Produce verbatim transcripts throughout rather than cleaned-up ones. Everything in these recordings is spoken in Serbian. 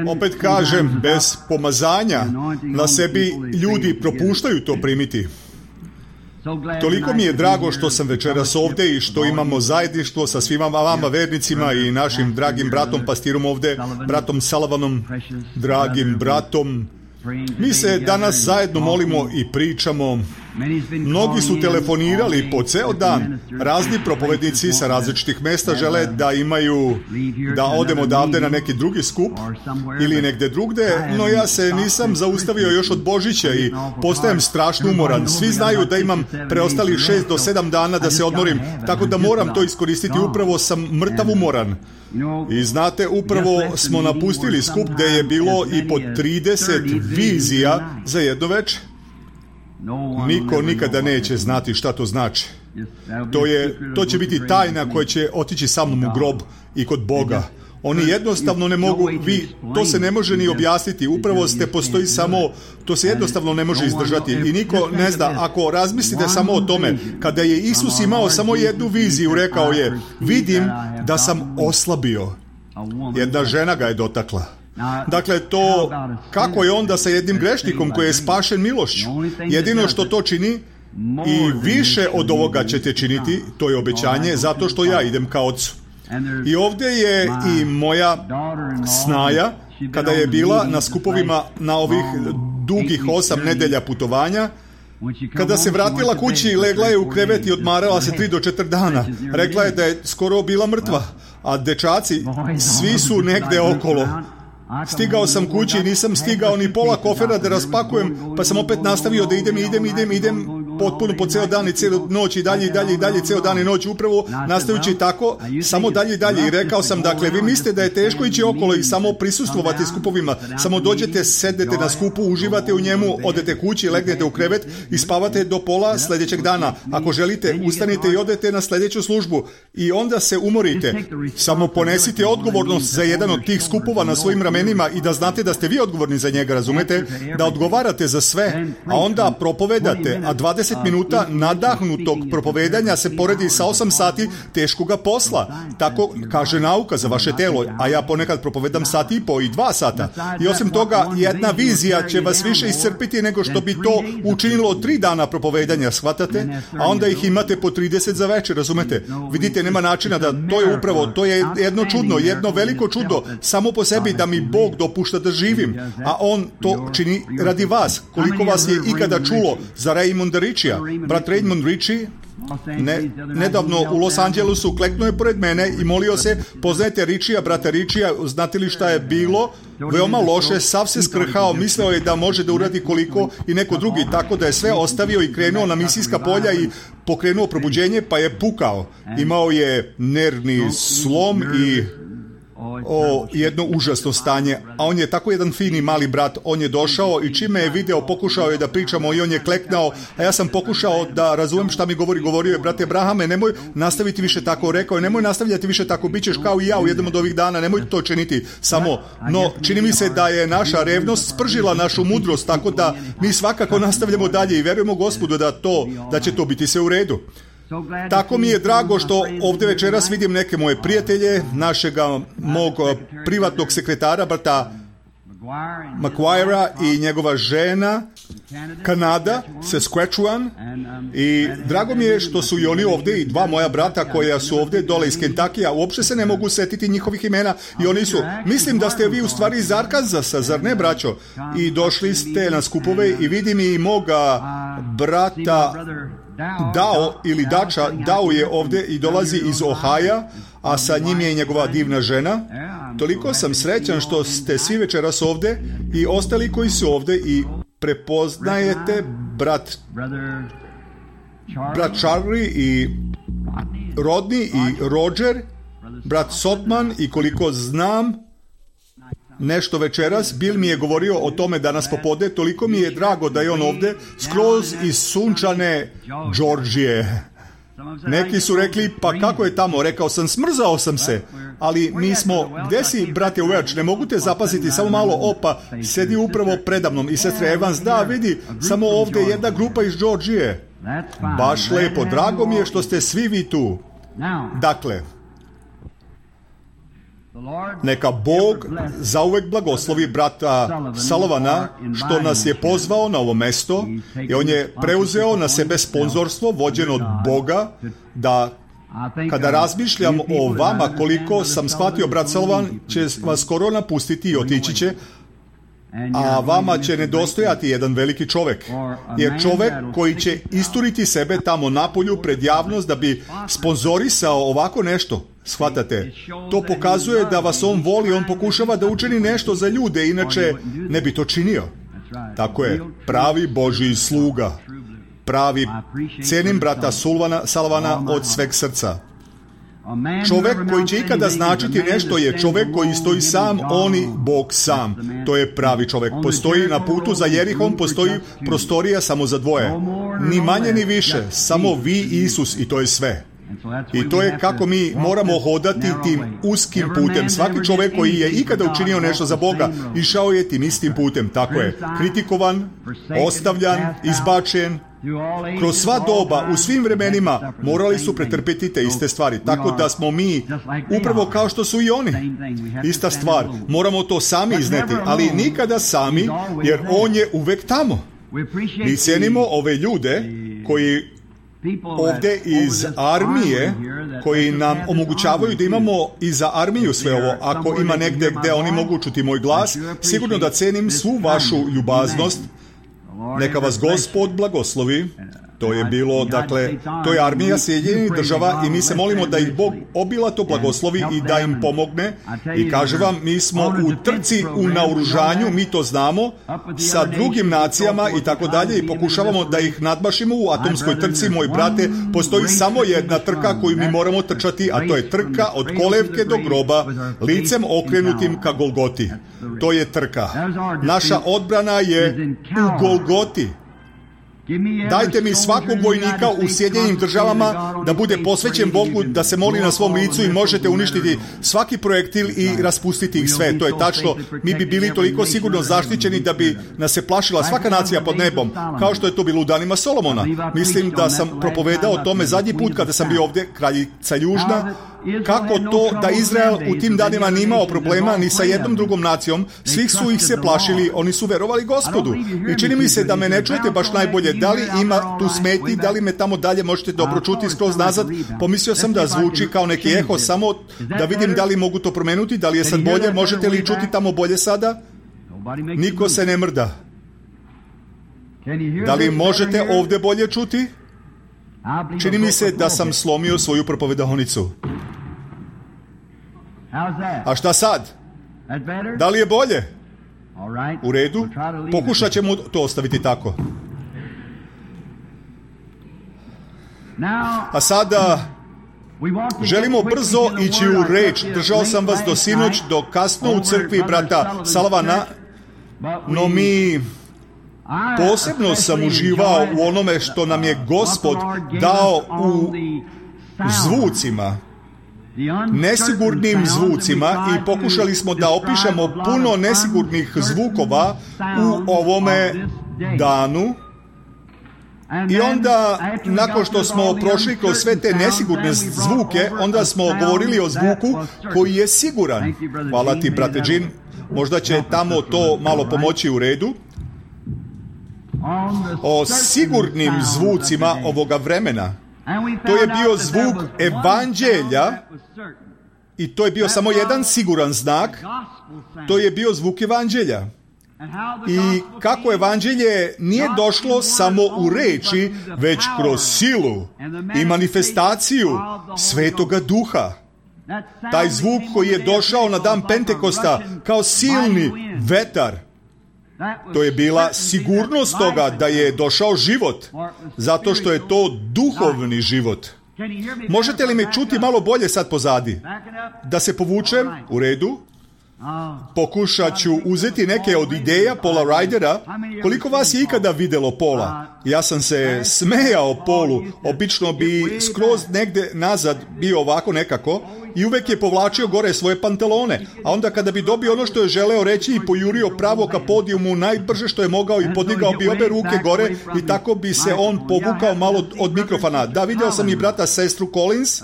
Opet kažem, bez pomazanja na sebi ljudi propuštaju to primiti. Toliko mi je drago što sam večeras ovdje i što imamo zajedništvo sa svima vama vernicima i našim dragim bratom pastirom ovdje, bratom Salavanom, dragim bratom. Mi se danas zajedno molimo i pričamo. Mnogi su telefonirali po ceo dan. Razni propovednici sa različitih mesta žele da imaju, da odemo odavde na neki drugi skup ili negde drugde, no ja se nisam zaustavio još od Božića i postajem strašno umoran. Svi znaju da imam preostali šest do sedam dana da se odmorim, tako da moram to iskoristiti. Upravo sam mrtav umoran. I znate, upravo smo napustili skup gde je bilo i po trideset vizija za jedno veče. Niko nikada neće znati šta to znači. To je, to će biti tajna koja će otići sa mnom u grob i kod Boga. Oni jednostavno ne mogu, vi, to se ne može ni objasniti, upravo ste postoji samo, to se jednostavno ne može izdržati i niko ne zna. Ako razmislite samo o tome, kada je Isus imao samo jednu viziju, rekao je, vidim da sam oslabio. Jedna žena ga je dotakla. Dakle, to, kako je onda sa jednim grešnikom koji je spašen milošću? Jedino što to čini, i više od ovoga ćete činiti, to je obećanje, zato što ja idem ka Otcu. I ovdje je i moja snaja, kada je bila na skupovima na ovih dugih osam nedelja putovanja, kada se vratila kući, legla je u krevet i odmarala se tri do četiri dana. Rekla je da je skoro bila mrtva, a dečaci, svi su negde okolo. Stigao sam kući i nisam stigao ni pola kofera da raspakujem, pa sam opet nastavio da idem, idem, idem, idem, potpuno po ceo dan i celu noć i dalje i dalje i dalje, ceo dan i noć, upravo nastavujući tako, samo dalje i dalje. I rekao sam, dakle, vi mislite da je teško ići okolo i samo prisustvovati skupovima, samo dođete, sedete na skupu, uživate u njemu, odete kući, legnete u krevet i spavate do pola sljedećeg dana. Ako želite, ustanite i odete na sljedeću službu i onda se umorite. Samo ponesite odgovornost za jedan od tih skupova na svojim ramenima i da znate da ste vi odgovorni za njega, razumete? Da odgovarate za sve, a onda propovedate, a dvadeset minuta nadahnutog propovedanja se poredi sa osam sati teškoga posla. Tako kaže nauka za vaše telo, a ja ponekad propovedam sat i po i dva sata. I osim toga, jedna vizija će vas više iscrpiti nego što bi to učinilo tri dana propovedanja, shvatate? A onda ih imate po trideset za večer, razumete? Vidite, nema načina da, to je upravo, to je jedno čudno, jedno veliko čudo, samo po sebi da mi Bog dopušta da živim, a On to čini radi vas. Koliko vas je ikada čulo za Raymonda Richija? Brat Raymond Ritchie ne, nedavno u Los Angelesu kleknuo je pored mene i molio se, poznajete Richija, brata Richija, znate li šta je bilo? Veoma loše, sav se skrhao, mislio je da može da uradi koliko i neko drugi, tako da je sve ostavio i krenuo na misijska polja i pokrenuo probuđenje, pa je pukao. Imao je nervni slom i o, jedno užasno stanje, a on je tako jedan fini mali brat, on je došao i čime je video, pokušao je da pričamo i on je kleknao, a ja sam pokušao da razumem šta mi govori, govorio je, brate Abrahame, nemoj nastaviti više tako, rekao je, nemoj nastavljati više tako, bit ćeš kao i ja u jednom od ovih dana, nemoj to činiti, samo, no, čini mi se da je naša revnost spržila našu mudrost, tako da mi svakako nastavljamo dalje i verujemo Gospodu da to, da će to biti sve u redu. Tako mi je drago što ovdje večeras vidim neke moje prijatelje, našega mog privatnog sekretara, brata McGuire i njegova žena, Kanada, Saskatchewan, i drago mi je što su i oni ovdje i dva moja brata koja su ovdje dole iz Kentakija, uopće se ne mogu setiti njihovih imena i oni su, mislim da ste vi u stvari iz Arkanzasa, zar ne, braćo? I došli ste na skupove i vidim i moga brata Dao ili Dača, Dao je ovdje i dolazi iz Ohaja, a sa njim je i njegova divna žena. Toliko sam srećan što ste svi večeras ovdje i ostali koji su ovdje i prepoznajete brat, brat Charlie i Rodney i Roger, brat Sotman i koliko znam nešto večeras, Bill mi je govorio o tome danas popodne, toliko mi je drago da je on ovdje, skroz iz sunčane Georgije. Neki su rekli, pa kako je tamo? Rekao sam, smrzao sam se, ali mi smo, gdje si, brate Welch, ne mogu te zapaziti, samo malo, opa, sedi upravo predamnom i sestre Evans, da, vidi, samo ovdje jedna grupa iz Georgije. Baš lepo, drago mi je što ste svi vi tu. Dakle, Neka Bog zauvek blagoslovi brata Sullivana što nas je pozvao na ovo mesto i on je preuzeo na sebe sponzorstvo vođen od Boga da kada razmišljam o vama koliko sam shvatio, brat Sullivan će vas skoro napustiti i otići će, a vama će nedostojati jedan veliki čovjek. Jer čovjek koji će isturiti sebe tamo napolju pred javnost da bi sponzorisao ovako nešto, shvatate, to pokazuje da vas on voli, on pokušava da učini nešto za ljude, inače ne bi to činio. Tako je, pravi Božji sluga. Pravi, cijenim brata Sullivana od sveg srca. Čovjek koji će ikada značiti nešto je čovjek koji stoji sam, on i Bog sam. To je pravi čovjek. Postoji na putu za Jerihom, postoji prostorija samo za dvoje. Ni manje ni više, samo vi i Isus i to je sve. I to je kako mi moramo hodati tim uskim putem. Svaki čovjek koji je ikada učinio nešto za Boga, išao je tim istim putem. Tako je, kritikovan, ostavljan, izbačen. Kroz sva doba, u svim vremenima, morali su pretrpiti te iste stvari. Tako da smo mi, upravo kao što su i oni. Ista stvar. Moramo to sami izneti, ali nikada sami, jer on je uvek tamo. Mi cijenimo ove ljude koji ovdje iz armije, koji nam omogućavaju da imamo i za armiju sve ovo. Ako ima negdje gdje oni mogu čuti moj glas, sigurno da cenim svu vašu ljubaznost. Neka vas Gospod blagoslovi. To je bilo, dakle, to je armija Sjedinjenih država i mi se molimo da ih Bog obilato blagoslovi i da im pomogne. I kaže vam, mi smo u trci, u naoružanju, mi to znamo, sa drugim nacijama i tako dalje i pokušavamo da ih nadmašimo u atomskoj trci. Moj brate, postoji samo jedna trka koju mi moramo trčati, a to je trka od kolevke do groba, licem okrenutim ka Golgoti. To je trka. Naša odbrana je u Golgoti. Dajte mi svakog vojnika u Sjedinjenim državama da bude posvećen Bogu, da se moli na svom licu i možete uništiti svaki projektil i raspustiti ih sve. To je tačno. Mi bi bili toliko sigurno zaštićeni da bi nas se plašila svaka nacija pod nebom, kao što je to bilo u danima Solomona. Mislim da sam propovedao o tome zadnji put kada sam bio ovdje, kraljica Južna, kako to da Izrael u tim danima nije imao problema ni sa jednom drugom nacijom, svih su ih se plašili, oni su verovali Gospodu. I čini mi se da me ne čujete baš najbolje, da li ima tu smetnji, da li me tamo dalje možete dobro čuti skroz nazad. Pomislio sam da zvuči kao neki eho, samo da vidim da li mogu to promenuti, da li je sad bolje, možete li čuti tamo bolje sada? Niko se ne mrda. Da li možete ovdje bolje čuti? Čini mi se da sam slomio svoju propovedahonicu. A šta sad? Da li je bolje? U redu? Pokušat ćemo to ostaviti tako. A sada želimo brzo ići u reč. Držao sam vas do sinoć, do kasno u crkvi brata Sullivana, no mi... Posebno sam uživao u onome što nam je Gospod dao u zvucima, nesigurnim zvucima, i pokušali smo da opišemo puno nesigurnih zvukova u ovome danu. I onda, nakon što smo prošli kroz sve te nesigurne zvuke, onda smo govorili o zvuku koji je siguran. Hvala ti, brate Jean. Možda će tamo to malo pomoći. U redu. O sigurnim zvucima ovoga vremena. To je bio zvuk evanđelja i to je bio samo jedan siguran znak. To je bio zvuk evanđelja. I kako evanđelje nije došlo samo u reči, već kroz silu i manifestaciju Svetoga Duha. Taj zvuk koji je došao na dan Pentekosta kao silni vetar. To je bila sigurnost toga da je došao život, zato što je to duhovni život. Možete li me čuti malo bolje sad pozadi? Da se povučem? U redu. Pokušat ću uzeti neke od ideja Paula Rydera. Koliko vas je ikada vidjelo Paula? Ja sam se smejao Paulu. Obično bi skroz negde nazad bio ovako nekako i uvek je povlačio gore svoje pantalone. A onda kada bi dobio ono što je želeo reći i pojurio pravo ka podijumu najbrže što je mogao i podigao bi obe ruke gore i tako bi se on povukao malo od mikrofona. Da, vidio sam i brata sestru Collins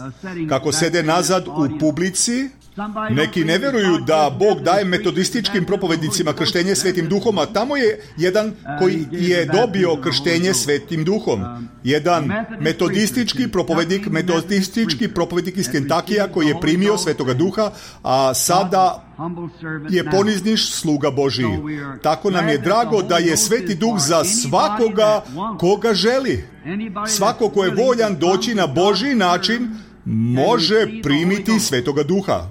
kako sede nazad u publici. Neki ne vjeruju da Bog daje metodističkim propovednicima krštenje Svetim Duhom, a tamo je jedan koji je dobio krštenje Svetim Duhom. Jedan metodistički propovednik, metodistički propovednik iz Kentakija koji je primio Svetoga Duha, a sada je ponizniš sluga Božiji. Tako nam je drago da je Sveti Duh za svakoga koga želi. Svako ko je voljan doći na Božji način može primiti Svetoga Duha.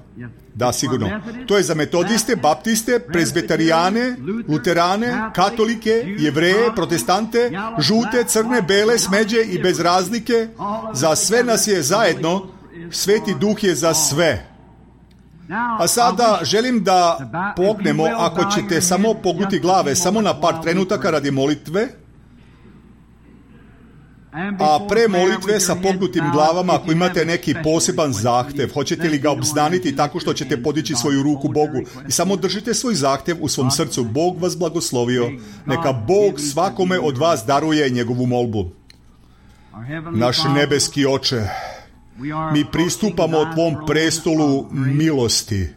Da, sigurno. To je za metodiste, baptiste, prezbetarijane, luterane, katolike, jevreje, protestante, žute, crne, bele, smeđe i bez razlike. Za sve nas je zajedno. Sveti Duh je za sve. A sada želim da pognemo, ako ćete samo pognuti glave, samo na par trenutaka radi molitve. A pre molitve sa pognutim glavama, ako imate neki poseban zahtev, hoćete li ga obznaniti tako što ćete podići svoju ruku Bogu i samo držite svoj zahtev u svom srcu. Bog vas blagoslovio. Neka Bog svakome od vas daruje njegovu molbu. Naš nebeski Oče, mi pristupamo Tvom prestolu milosti,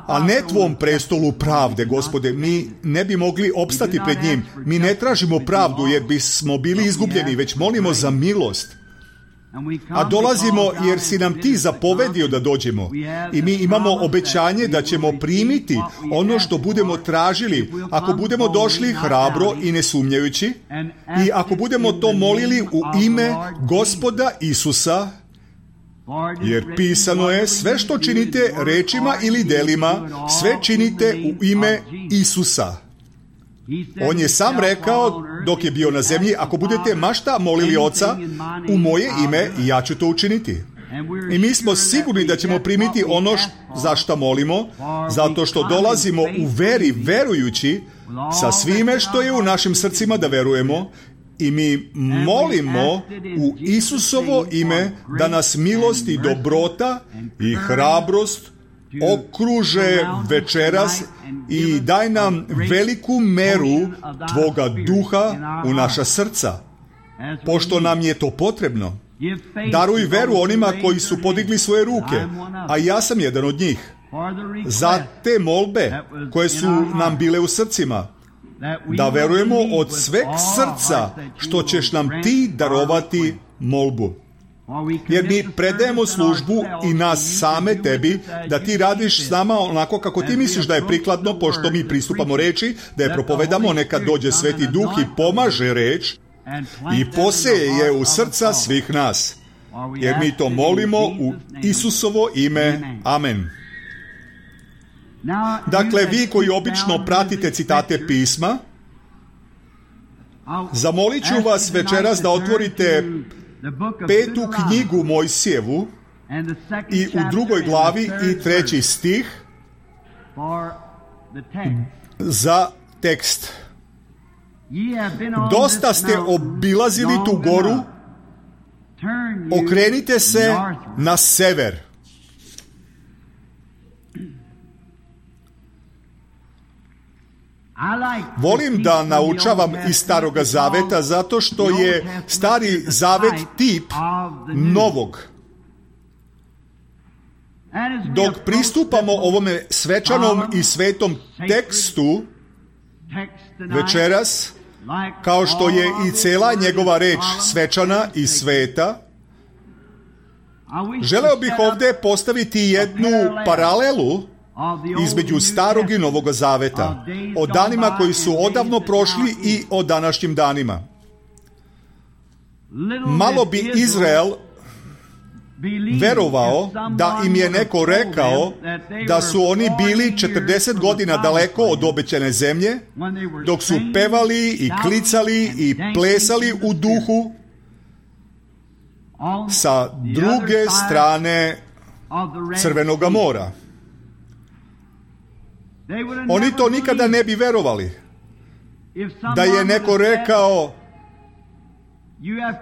a ne Tvom prestolu pravde, Gospode. Mi ne bi mogli opstati pred njim. Mi ne tražimo pravdu jer bismo bili izgubljeni, već molimo za milost. A dolazimo jer si nam Ti zapovedio da dođemo. I mi imamo obećanje da ćemo primiti ono što budemo tražili, ako budemo došli hrabro i ne sumnjajući, i ako budemo to molili u ime Gospoda Isusa, jer pisano je, sve što činite rečima ili delima, sve činite u ime Isusa. On je sam rekao, dok je bio na zemlji, ako budete mašta molili Oca u moje ime, ja ću to učiniti. I mi smo sigurni da ćemo primiti ono za što molimo, zato što dolazimo u veri, verujući sa svime što je u našim srcima da verujemo. I mi molimo u Isusovo ime da nas milost i dobrota i hrabrost okruže večeras i daj nam veliku meru Tvoga duha u naša srca, pošto nam je to potrebno. Daruj veru onima koji su podigli svoje ruke, a ja sam jedan od njih, za te molbe koje su nam bile u srcima, da verujemo od sveg srca što ćeš nam Ti darovati molbu. Jer mi predajemo službu i nas same Tebi, da Ti radiš s nama onako kako Ti misliš da je prikladno, pošto mi pristupamo reči, da je propovedamo, neka dođe Sveti Duh i pomaže reč i poseje je u srca svih nas. Jer mi to molimo u Isusovo ime. Amen. Dakle, vi koji obično pratite citate pisma, zamolit ću vas večeras da otvorite petu knjigu Mojsijevu i u drugoj glavi i treći stih za tekst. Dosta ste obilazili tu goru, okrenite se na sever. Volim da naučavam iz Staroga Zaveta zato što je Stari Zavet tip novog. Dok pristupamo ovome svečanom i svetom tekstu večeras, kao što je i cela njegova reč svečana i sveta, želeo bih ovdje postaviti jednu paralelu između Starog i Novog Zaveta, o danima koji su odavno prošli i o današnjim danima. Malo bi Izrael verovao da im je neko rekao da su oni bili četrdeset godina daleko od obećane zemlje, dok su pevali i klicali i plesali u duhu sa druge strane Crvenoga mora. Oni to nikada ne bi verovali. Da je neko rekao,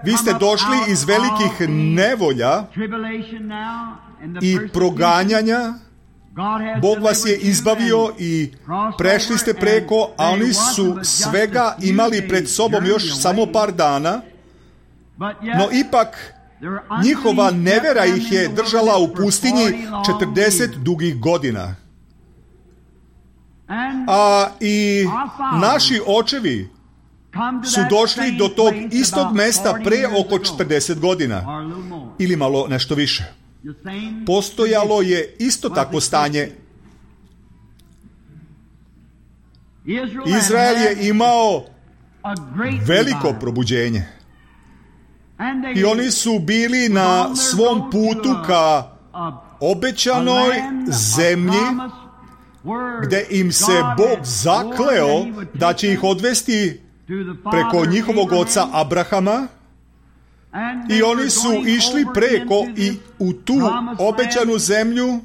vi ste došli iz velikih nevolja i proganjanja, Bog vas je izbavio i prešli ste preko, a oni su svega imali pred sobom još samo par dana, no ipak Njihova nevera ih je držala u pustinji četrdeset dugih godina. A i naši očevi su došli do tog istog mesta pre oko četrdeset godina ili malo nešto više. Postojalo je isto takvo stanje. Izrael je imao veliko probuđenje i oni su bili na svom putu ka obećanoj zemlji gde im se Bog zakleo da će ih odvesti preko njihovog oca Abrahama, i oni su išli preko i u tu obećanu zemlju,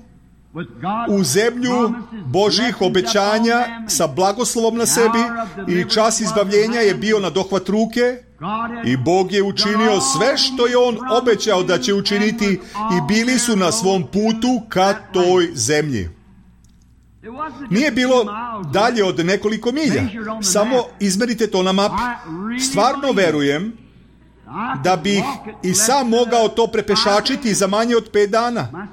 u zemlju Božjih obećanja sa blagoslovom na sebi, i čas izbavljenja je bio na dohvat ruke i Bog je učinio sve što je on obećao da će učiniti i bili su na svom putu ka toj zemlji. Nije bilo dalje od nekoliko milja. Samo izmerite to na mapi. Stvarno verujem da bih i sam mogao to prepešačiti za manje od pet dana.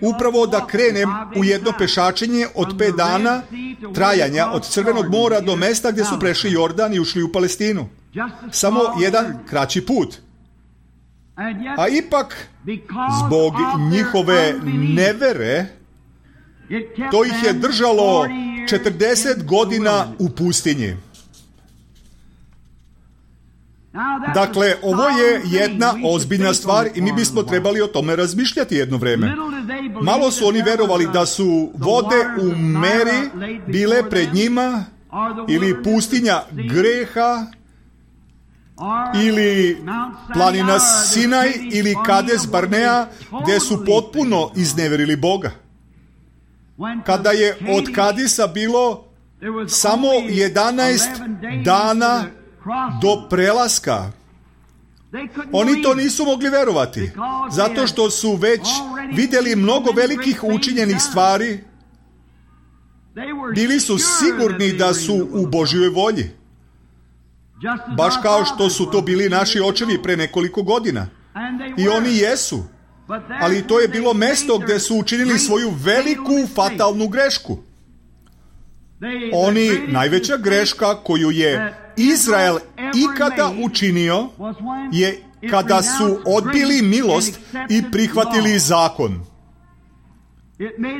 Upravo da krenem u jedno pešačenje od pet dana trajanja od Crvenog mora do mesta gdje su prešli Jordan i ušli u Palestinu. Samo jedan kraći put. A ipak, zbog njihove nevere, to ih je držalo četrdeset godina u pustinji. Dakle, ovo je jedna ozbiljna stvar i mi bismo trebali o tome razmišljati jedno vreme. Malo su oni verovali da su vode u meri bile pred njima, ili pustinja greha, ili planina Sinaj, ili Kades Barnea, gdje su potpuno izneverili Boga. Kada je od Kadisa bilo samo jedanaest dana do prelaska, oni to nisu mogli verovati, zato što su već vidjeli mnogo velikih učinjenih stvari. Bili su sigurni da su u Božjoj volji, baš kao što su to bili naši očevi pre nekoliko godina. I oni jesu. Ali to je bilo mesto gdje su učinili svoju veliku fatalnu grešku. Oni, najveća greška koju je Izrael ikada učinio je kada su odbili milost i prihvatili zakon.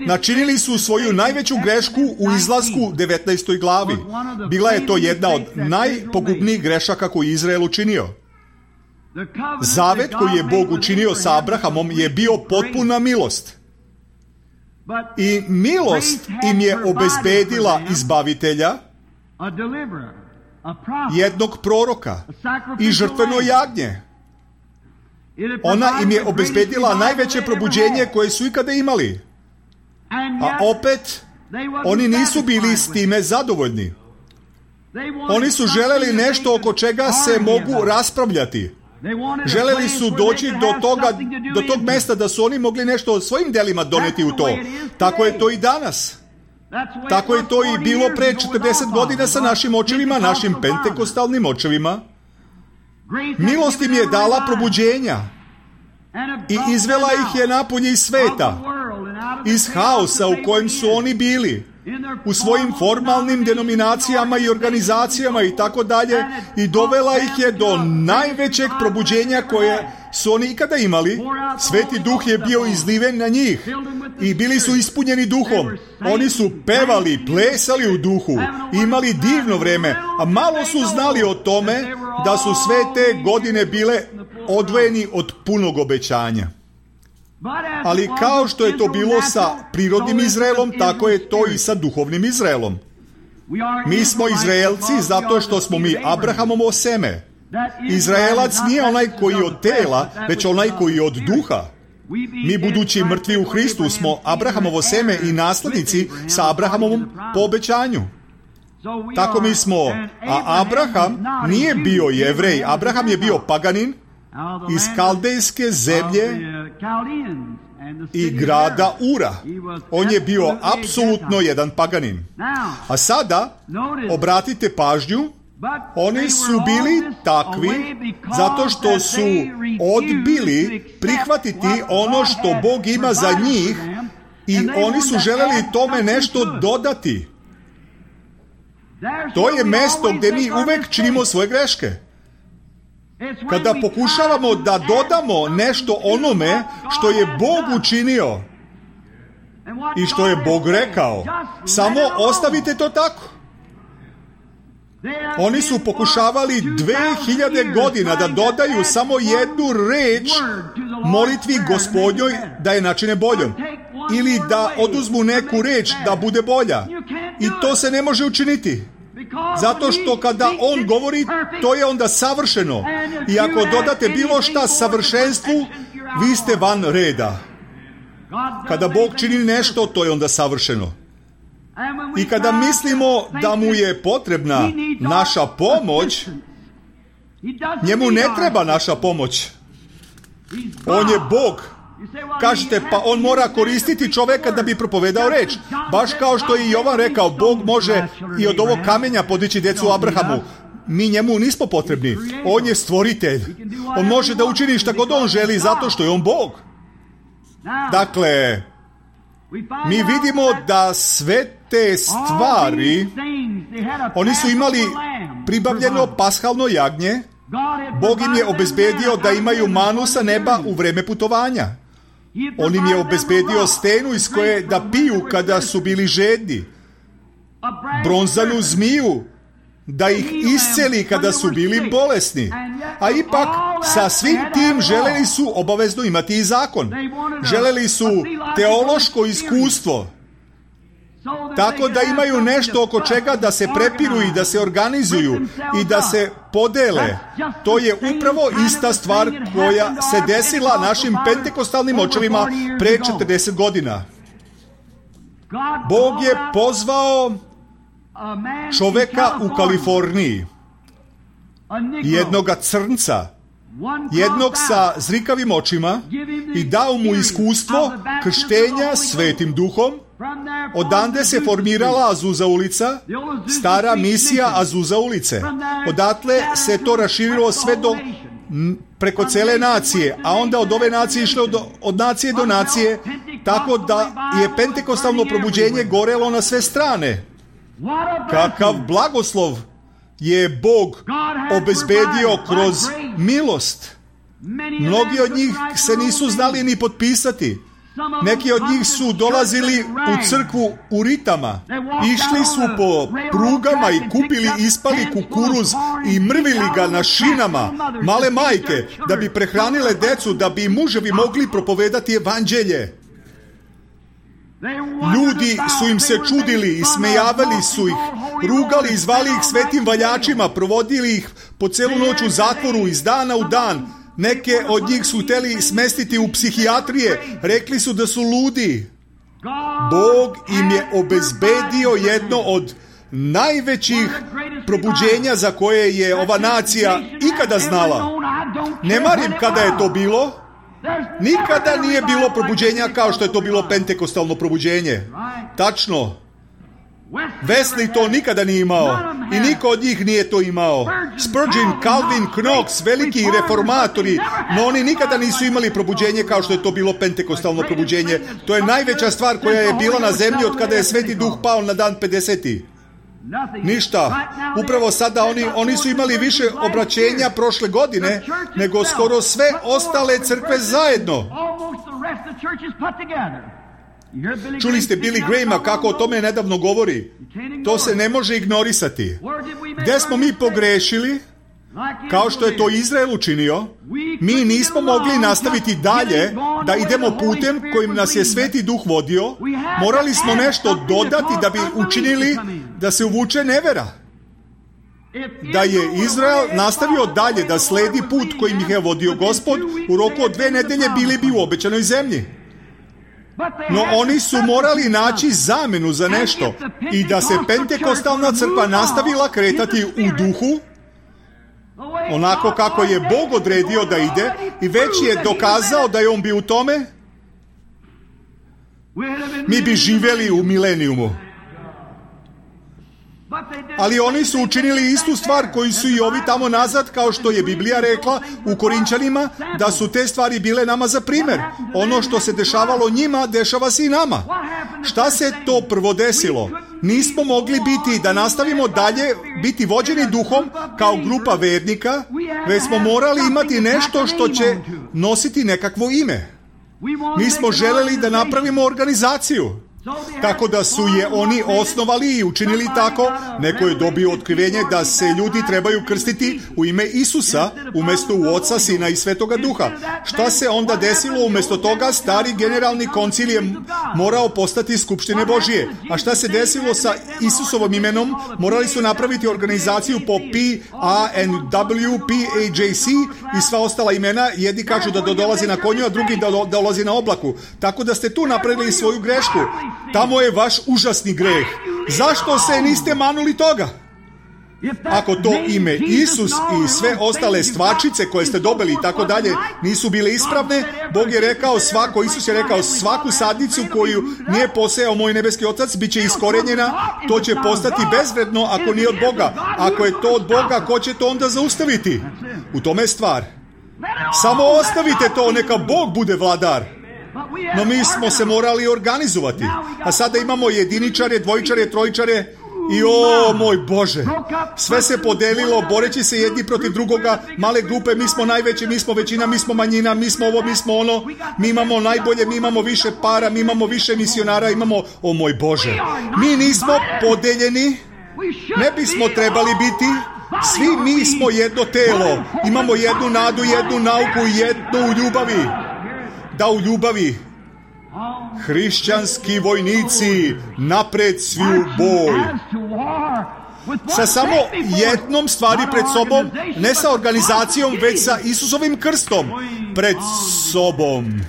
Načinili su svoju najveću grešku u izlasku devetnaestoj glavi. Bila je to jedna od najpogubnijih grešaka koju je Izrael učinio. Zavet koji je Bog učinio sa Abrahamom je bio potpuna milost. I milost im je obezbedila izbavitelja, jednog proroka i žrtveno jagnje. Ona im je obezbedila najveće probuđenje koje su ikada imali. A opet, oni nisu bili s time zadovoljni. Oni su želeli nešto oko čega se mogu raspravljati. Želeli su doći do toga, do tog mesta da su oni mogli nešto od svojim delima doneti u to. Tako je to i danas. Tako je to i bilo pre četrdeset godina sa našim očevima, našim pentekostalnim očevima. Milost im je dala probuđenja i izvela ih je napolje iz sveta, iz haosa u kojem su oni bili, u svojim formalnim denominacijama i organizacijama i tako dalje, i dovela ih je do najvećeg probuđenja koje su oni ikada imali. Sveti duh je bio izliven na njih i bili su ispunjeni duhom. Oni su pevali, plesali u duhu, imali divno vreme, a malo su znali o tome da su sve te godine bile odvojeni od punog obećanja. Ali kao što je to bilo sa prirodnim Izraelom, tako je to i sa duhovnim Izraelom. Mi smo Izraelci zato što smo mi Abrahamovo seme. Izraelac nije onaj koji je od tela, već onaj koji je od duha. Mi, budući mrtvi u Hristu, smo Abrahamovo seme i naslednici sa Abrahamovom po obećanju. Tako mi smo, a Abraham nije bio Jevrej, Abraham je bio paganin iz kaldejske zemlje i grada Ura. On je bio apsolutno jedan paganin. A sada, obratite pažnju, Oni su bili takvi zato što su odbili prihvatiti ono što Bog ima za njih i oni su želeli tome nešto dodati. To je mesto gdje mi uvek činimo svoje greške. Kada pokušavamo da dodamo nešto onome što je Bog učinio i što je Bog rekao, samo ostavite to tako. Oni su pokušavali dve hiljade godina da dodaju samo jednu reč molitvi Gospodnjoj da je načine boljom. Ili da oduzmu neku reč da bude bolja. I to se ne može učiniti. Zato što kada On govori, to je onda savršeno. I ako dodate bilo šta savršenstvu, vi ste van reda. Kada Bog čini nešto, to je onda savršeno. I kada mislimo da mu je potrebna naša pomoć, njemu ne treba naša pomoć. On je Bog. Kažete, pa on mora koristiti čoveka da bi propovedao reč. Baš kao što je i Jovan rekao, Bog može i od ovog kamenja podići decu Abrahamu. Mi njemu nismo potrebni. On je stvoritelj. On može da učini šta god on želi zato što je on Bog. Dakle, mi vidimo da sve te stvari, oni su imali pribavljeno pashalno jagnje, Bog im je obezbedio da imaju manu sa neba u vreme putovanja. On im je obezbedio stenu iz koje da piju kada su bili žedni, bronzanu zmiju da ih isceli kada su bili bolesni. A ipak sa svim tim želeli su obavezno imati i zakon. Želeli su teološko iskustvo, tako da imaju nešto oko čega da se prepiru i da se organizuju i da se podele. To je upravo ista stvar koja se desila našim pentekostalnim očevima pre četrdeset godina. Bog je pozvao čoveka u Kaliforniji, jednoga crnca, jednog sa zrikavim očima, i dao mu iskustvo krštenja Svetim Duhom. Odande se formirala Azusa ulica, stara misija Azusa ulice. Odatle se to raširilo sve do preko cele nacije, a onda od ove nacije išlo od, od nacije do nacije, tako da je pentekostalno probuđenje gorelo na sve strane. Kakav blagoslov je Bog obezbedio kroz milost. Mnogi od njih se nisu znali ni potpisati. Neki od njih su dolazili u crkvu u ritama. Išli su po prugama i kupili ispali kukuruz i mrvili ga na šinama, male majke, da bi prehranile decu, da bi muževi mogli propovedati evanđelje. Ljudi su im se čudili i smejavali su ih, rugali i zvali ih svetim valjačima, provodili ih po celu noć u zatvoru iz dana u dan. Neke od njih su hteli smestiti u psihijatrije, rekli su da su ludi. Bog im je obezbedio jedno od najvećih probuđenja za koje je ova nacija ikada znala. Ne marim kada je to bilo. Nikada nije bilo probuđenja kao što je to bilo pentekostalno probuđenje. Tačno. Wesley to nikada nije imao i niko od njih nije to imao. Spurgeon, Calvin, Knox, veliki reformatori, no oni nikada nisu imali probuđenje kao što je to bilo pentekostalno probuđenje. To je najveća stvar koja je bila na zemlji od kada je Sveti Duh pao na dan pedeseti. Ništa. Upravo sada oni, oni su imali više obraćenja prošle godine nego skoro sve ostale crkve zajedno. Čuli ste Billy Grahama kako o tome nedavno govori. To se ne može ignorisati. Gde smo mi pogrešili? Kao što je to Izrael učinio, mi nismo mogli nastaviti dalje da idemo putem kojim nas je Sveti Duh vodio. Morali smo nešto dodati da bi učinili da se uvuče nevera. Da je Izrael nastavio dalje da sledi put kojim ih je vodio Gospod, u roku od dve nedelje bili bi u obećanoj zemlji. No oni su morali naći zamenu za nešto i da se pentekostalna crkva nastavila kretati u duhu, onako kako je Bog odredio da ide i već je dokazao da je on bio u tome, mi bi živjeli u milenijumu. Ali oni su učinili istu stvar koju su i ovi tamo nazad, kao što je Biblija rekla u Korinčanima, da su te stvari bile nama za primjer. Ono što se dešavalo njima, dešava se i nama. Šta se to prvo desilo? Nismo mogli biti, da nastavimo dalje, biti vođeni duhom kao grupa vernika, već smo morali imati nešto što će nositi nekakvo ime. Mi smo želeli da napravimo organizaciju. Tako da su je oni osnovali i učinili tako. Neko je dobio otkrivenje da se ljudi trebaju krstiti u ime Isusa umjesto u Oca, Sina i Svetoga Duha. Šta se onda desilo? Umjesto toga stari generalni koncil je morao postati skupštine Božije. A šta se desilo sa Isusovom imenom? Morali su napraviti organizaciju po P A N W, P A J C i sva ostala imena. Jedni kažu da dolazi na konju, a drugi da dolazi na oblaku. Tako da ste tu napravili svoju grešku. Tamo je vaš užasni greh. Zašto se niste manuli toga? Ako to ime Isus i sve ostale stvačice koje ste dobili i tako dalje nisu bile ispravne, Bog je rekao svako, Isus je rekao svaku sadnicu koju nije posejao moj nebeski Otac bit će iskorenjena, to će postati bezvredno ako nije od Boga. Ako je to od Boga, ko će to onda zaustaviti? U tome je stvar. Samo ostavite to, neka Bog bude vladar. No mi smo se morali organizovati. A sada imamo jediničare, dvojičare, trojičare i o moj Bože, sve se podelilo boreći se jedni protiv drugoga, male grupe, mi smo najveći, mi smo većina, mi smo manjina, mi smo ovo, mi smo ono, mi imamo najbolje, mi imamo više para, mi imamo više misionara, imamo, o moj Bože, mi nismo podeljeni, ne bismo trebali biti. Svi mi smo jedno telo, imamo jednu nadu, jednu nauku, jednu u ljubavi. Da u ljubavi hrišćanski vojnici napred svi u boj. Sa samo jednom stvari pred sobom, ne sa organizacijom, već sa Isusovim krstom pred sobom.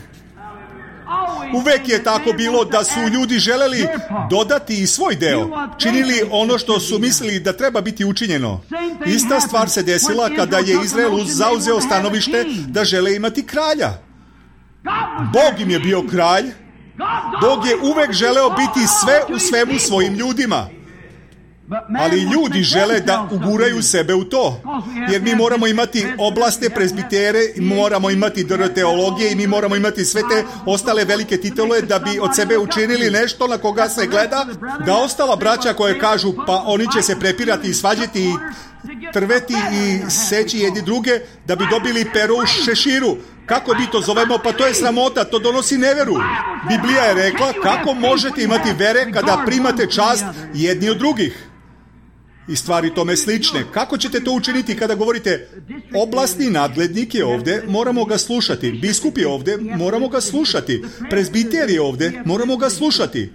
Uvek je tako bilo da su ljudi želeli dodati i svoj deo, činili ono što su mislili da treba biti učinjeno. Ista stvar se desila kada je Izrael zauzeo stanovište da žele imati kralja. Bog im je bio kralj. Bog je uvek želeo biti sve u svemu svojim ljudima. Ali ljudi žele da uguraju sebe u to. Jer mi moramo imati oblasne prezbitere, moramo imati dr teologije i mi moramo imati sve te ostale velike titule da bi od sebe učinili nešto na koga se gleda. Da ostala braća koje kažu pa oni će se prepirati i svađati i trveti i seći jedni druge da bi dobili pero u šeširu. Kako mi to zovemo? Pa to je sramota, to donosi neveru. Biblija je rekla kako možete imati vere kada primate čast jedni od drugih. I stvari tome slične. Kako ćete to učiniti kada govorite oblastni nadglednik je ovdje, moramo ga slušati. Biskup je ovdje, moramo ga slušati. Prezbiter je ovdje, moramo ga slušati.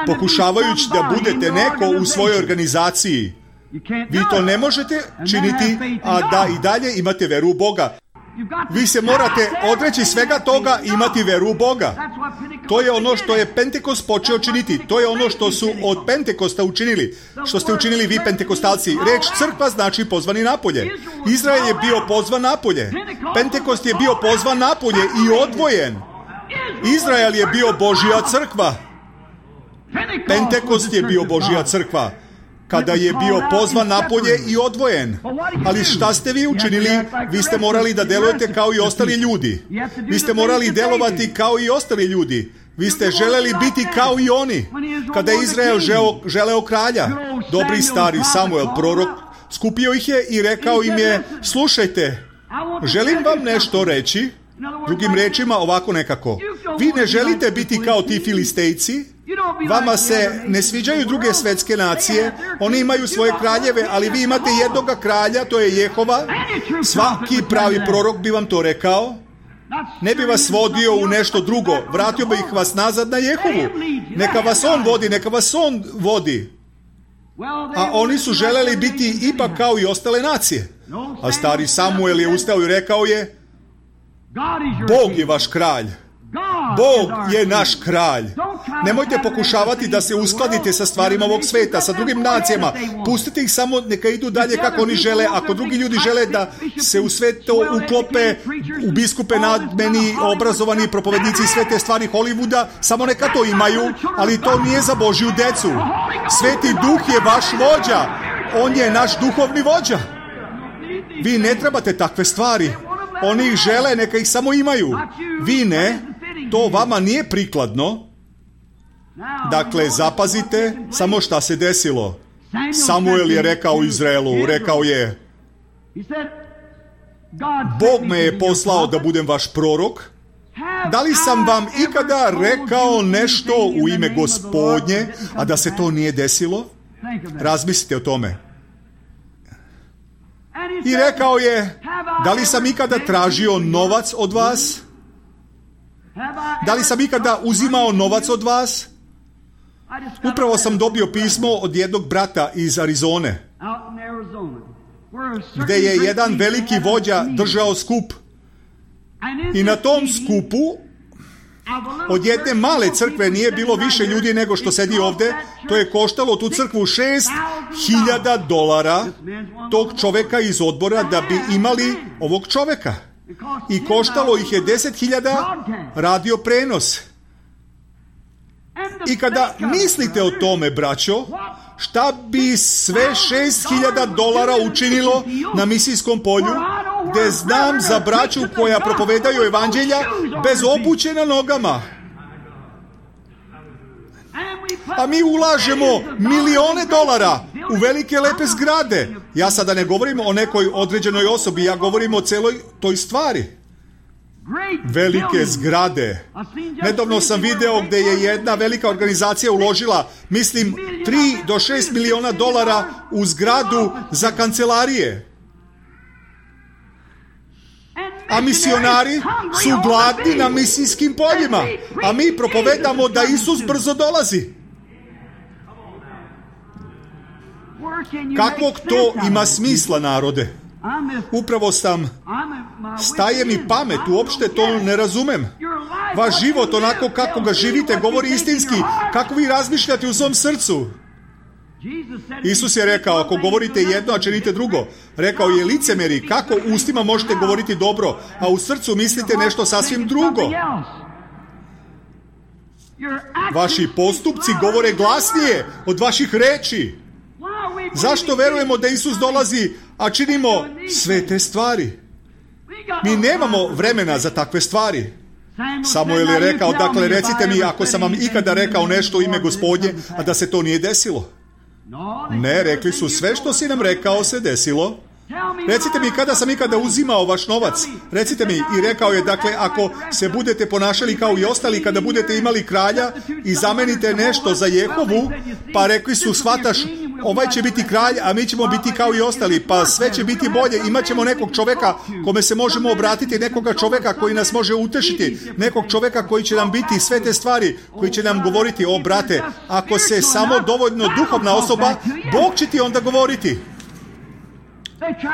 Pokušavajući da budete neko u svojoj organizaciji, vi to ne možete činiti, a da i dalje imate veru u Boga. Vi se morate odreći svega toga i imati veru u Boga. To je ono što je Pentekost počeo činiti. To je ono što su od Pentekosta učinili. Što ste učinili vi Pentekostalci. Reč crkva znači pozvani napolje. Izrael je bio pozvan napolje. Pentekost je bio pozvan napolje i odvojen. Izrael je bio Božja crkva. Pentekost je bio Božja crkva. Kada je bio pozvan napolje i odvojen. Ali šta ste vi učinili? Vi ste morali da delujete kao i ostali ljudi. Vi ste morali delovati kao i ostali ljudi. Vi ste želeli biti kao i oni. Kada je Izrael želeo, želeo kralja, dobri stari Samuel, prorok, skupio ih je i rekao im je, slušajte, želim vam nešto reći, drugim rečima ovako nekako. Vi ne želite biti kao ti Filistejci, vama se ne sviđaju druge svetske nacije, oni imaju svoje kraljeve, ali vi imate jednoga kralja, to je Jehova. Svaki pravi prorok bi vam to rekao. Ne bi vas vodio u nešto drugo, vratio bi ih vas nazad na Jehovu. Neka vas on vodi, neka vas on vodi. A oni su želeli biti ipak kao i ostale nacije. A stari Samuel je ustao i rekao je, Bog je vaš kralj. Bog je naš kralj. Nemojte pokušavati da se uskladite sa stvarima ovog sveta, sa drugim nacijama. Pustite ih samo, neka idu dalje kako oni žele. Ako drugi ljudi žele da se u sve to uklope, u biskupe, nadmeni, obrazovani propovednici i sve te stvari Hollywooda, samo neka to imaju, ali to nije za Božju decu. Sveti Duh je vaš vođa. On je naš duhovni vođa. Vi ne trebate takve stvari. Oni ih žele, neka ih samo imaju. Vi ne. To vama nije prikladno. Dakle, zapazite samo šta se desilo. Samuel je rekao Izraelu, rekao je: Bog me je poslao da budem vaš prorok. Da li sam vam ikada rekao nešto u ime Gospodnje, a da se to nije desilo? Razmislite o tome. I rekao je: da li sam ikada tražio novac od vas? Da li sam ikada uzimao novac od vas? Upravo sam dobio pismo od jednog brata iz Arizone, gde je jedan veliki vođa držao skup. I na tom skupu od jedne male crkve nije bilo više ljudi nego što sedi ovde. To je koštalo tu crkvu šest hiljada dolara tog čoveka iz odbora da bi imali ovog čoveka. I koštalo ih je deset hiljada radio prenos. I kada mislite o tome, braćo, šta bi sve šest hiljada dolara učinilo na misijskom polju, gde znam za braću koja propovedaju evanđelja bez obuće na nogama. A mi ulažemo milione dolara u velike lepe zgrade. Ja sada ne govorim o nekoj određenoj osobi, ja govorim o celoj toj stvari. Velike zgrade. Nedavno sam video gde je jedna velika organizacija uložila, mislim, tri do šest miliona dolara u zgradu za kancelarije. A misionari su gladni na misijskim poljima. A mi propovedamo da Isus brzo dolazi. Kakvog to ima smisla, narode? Upravo sam, staje mi pamet, uopšte to ne razumem. Vaš život, onako kako ga živite, govori istinski. Kako vi razmišljate u svom srcu? Isus je rekao, ako govorite jedno, a činite drugo. Rekao je licemeri, kako ustima možete govoriti dobro, a u srcu mislite nešto sasvim drugo. Vaši postupci govore glasnije od vaših reči. Zašto verujemo da Isus dolazi, a činimo sve te stvari? Mi nemamo vremena za takve stvari. Samuel je rekao, dakle, recite mi ako sam vam ikada rekao nešto u ime Gospodnje, a da se to nije desilo. Ne, rekli su, sve što si nam rekao se desilo. Recite mi kada sam ikada uzimao vaš novac. Recite mi. I rekao je, dakle, ako se budete ponašali kao i ostali, kada budete imali kralja i zamenite nešto za Jehovu, pa rekli su, shvataš, ovaj će biti kralj, a mi ćemo biti kao i ostali, pa sve će biti bolje. Imaćemo nekog čoveka kome se možemo obratiti, nekoga čoveka koji nas može utešiti, nekog čoveka koji će nam biti sve te stvari, koji će nam govoriti, o brate, ako se samo dovoljno duhovna osoba, Bog će ti onda govoriti.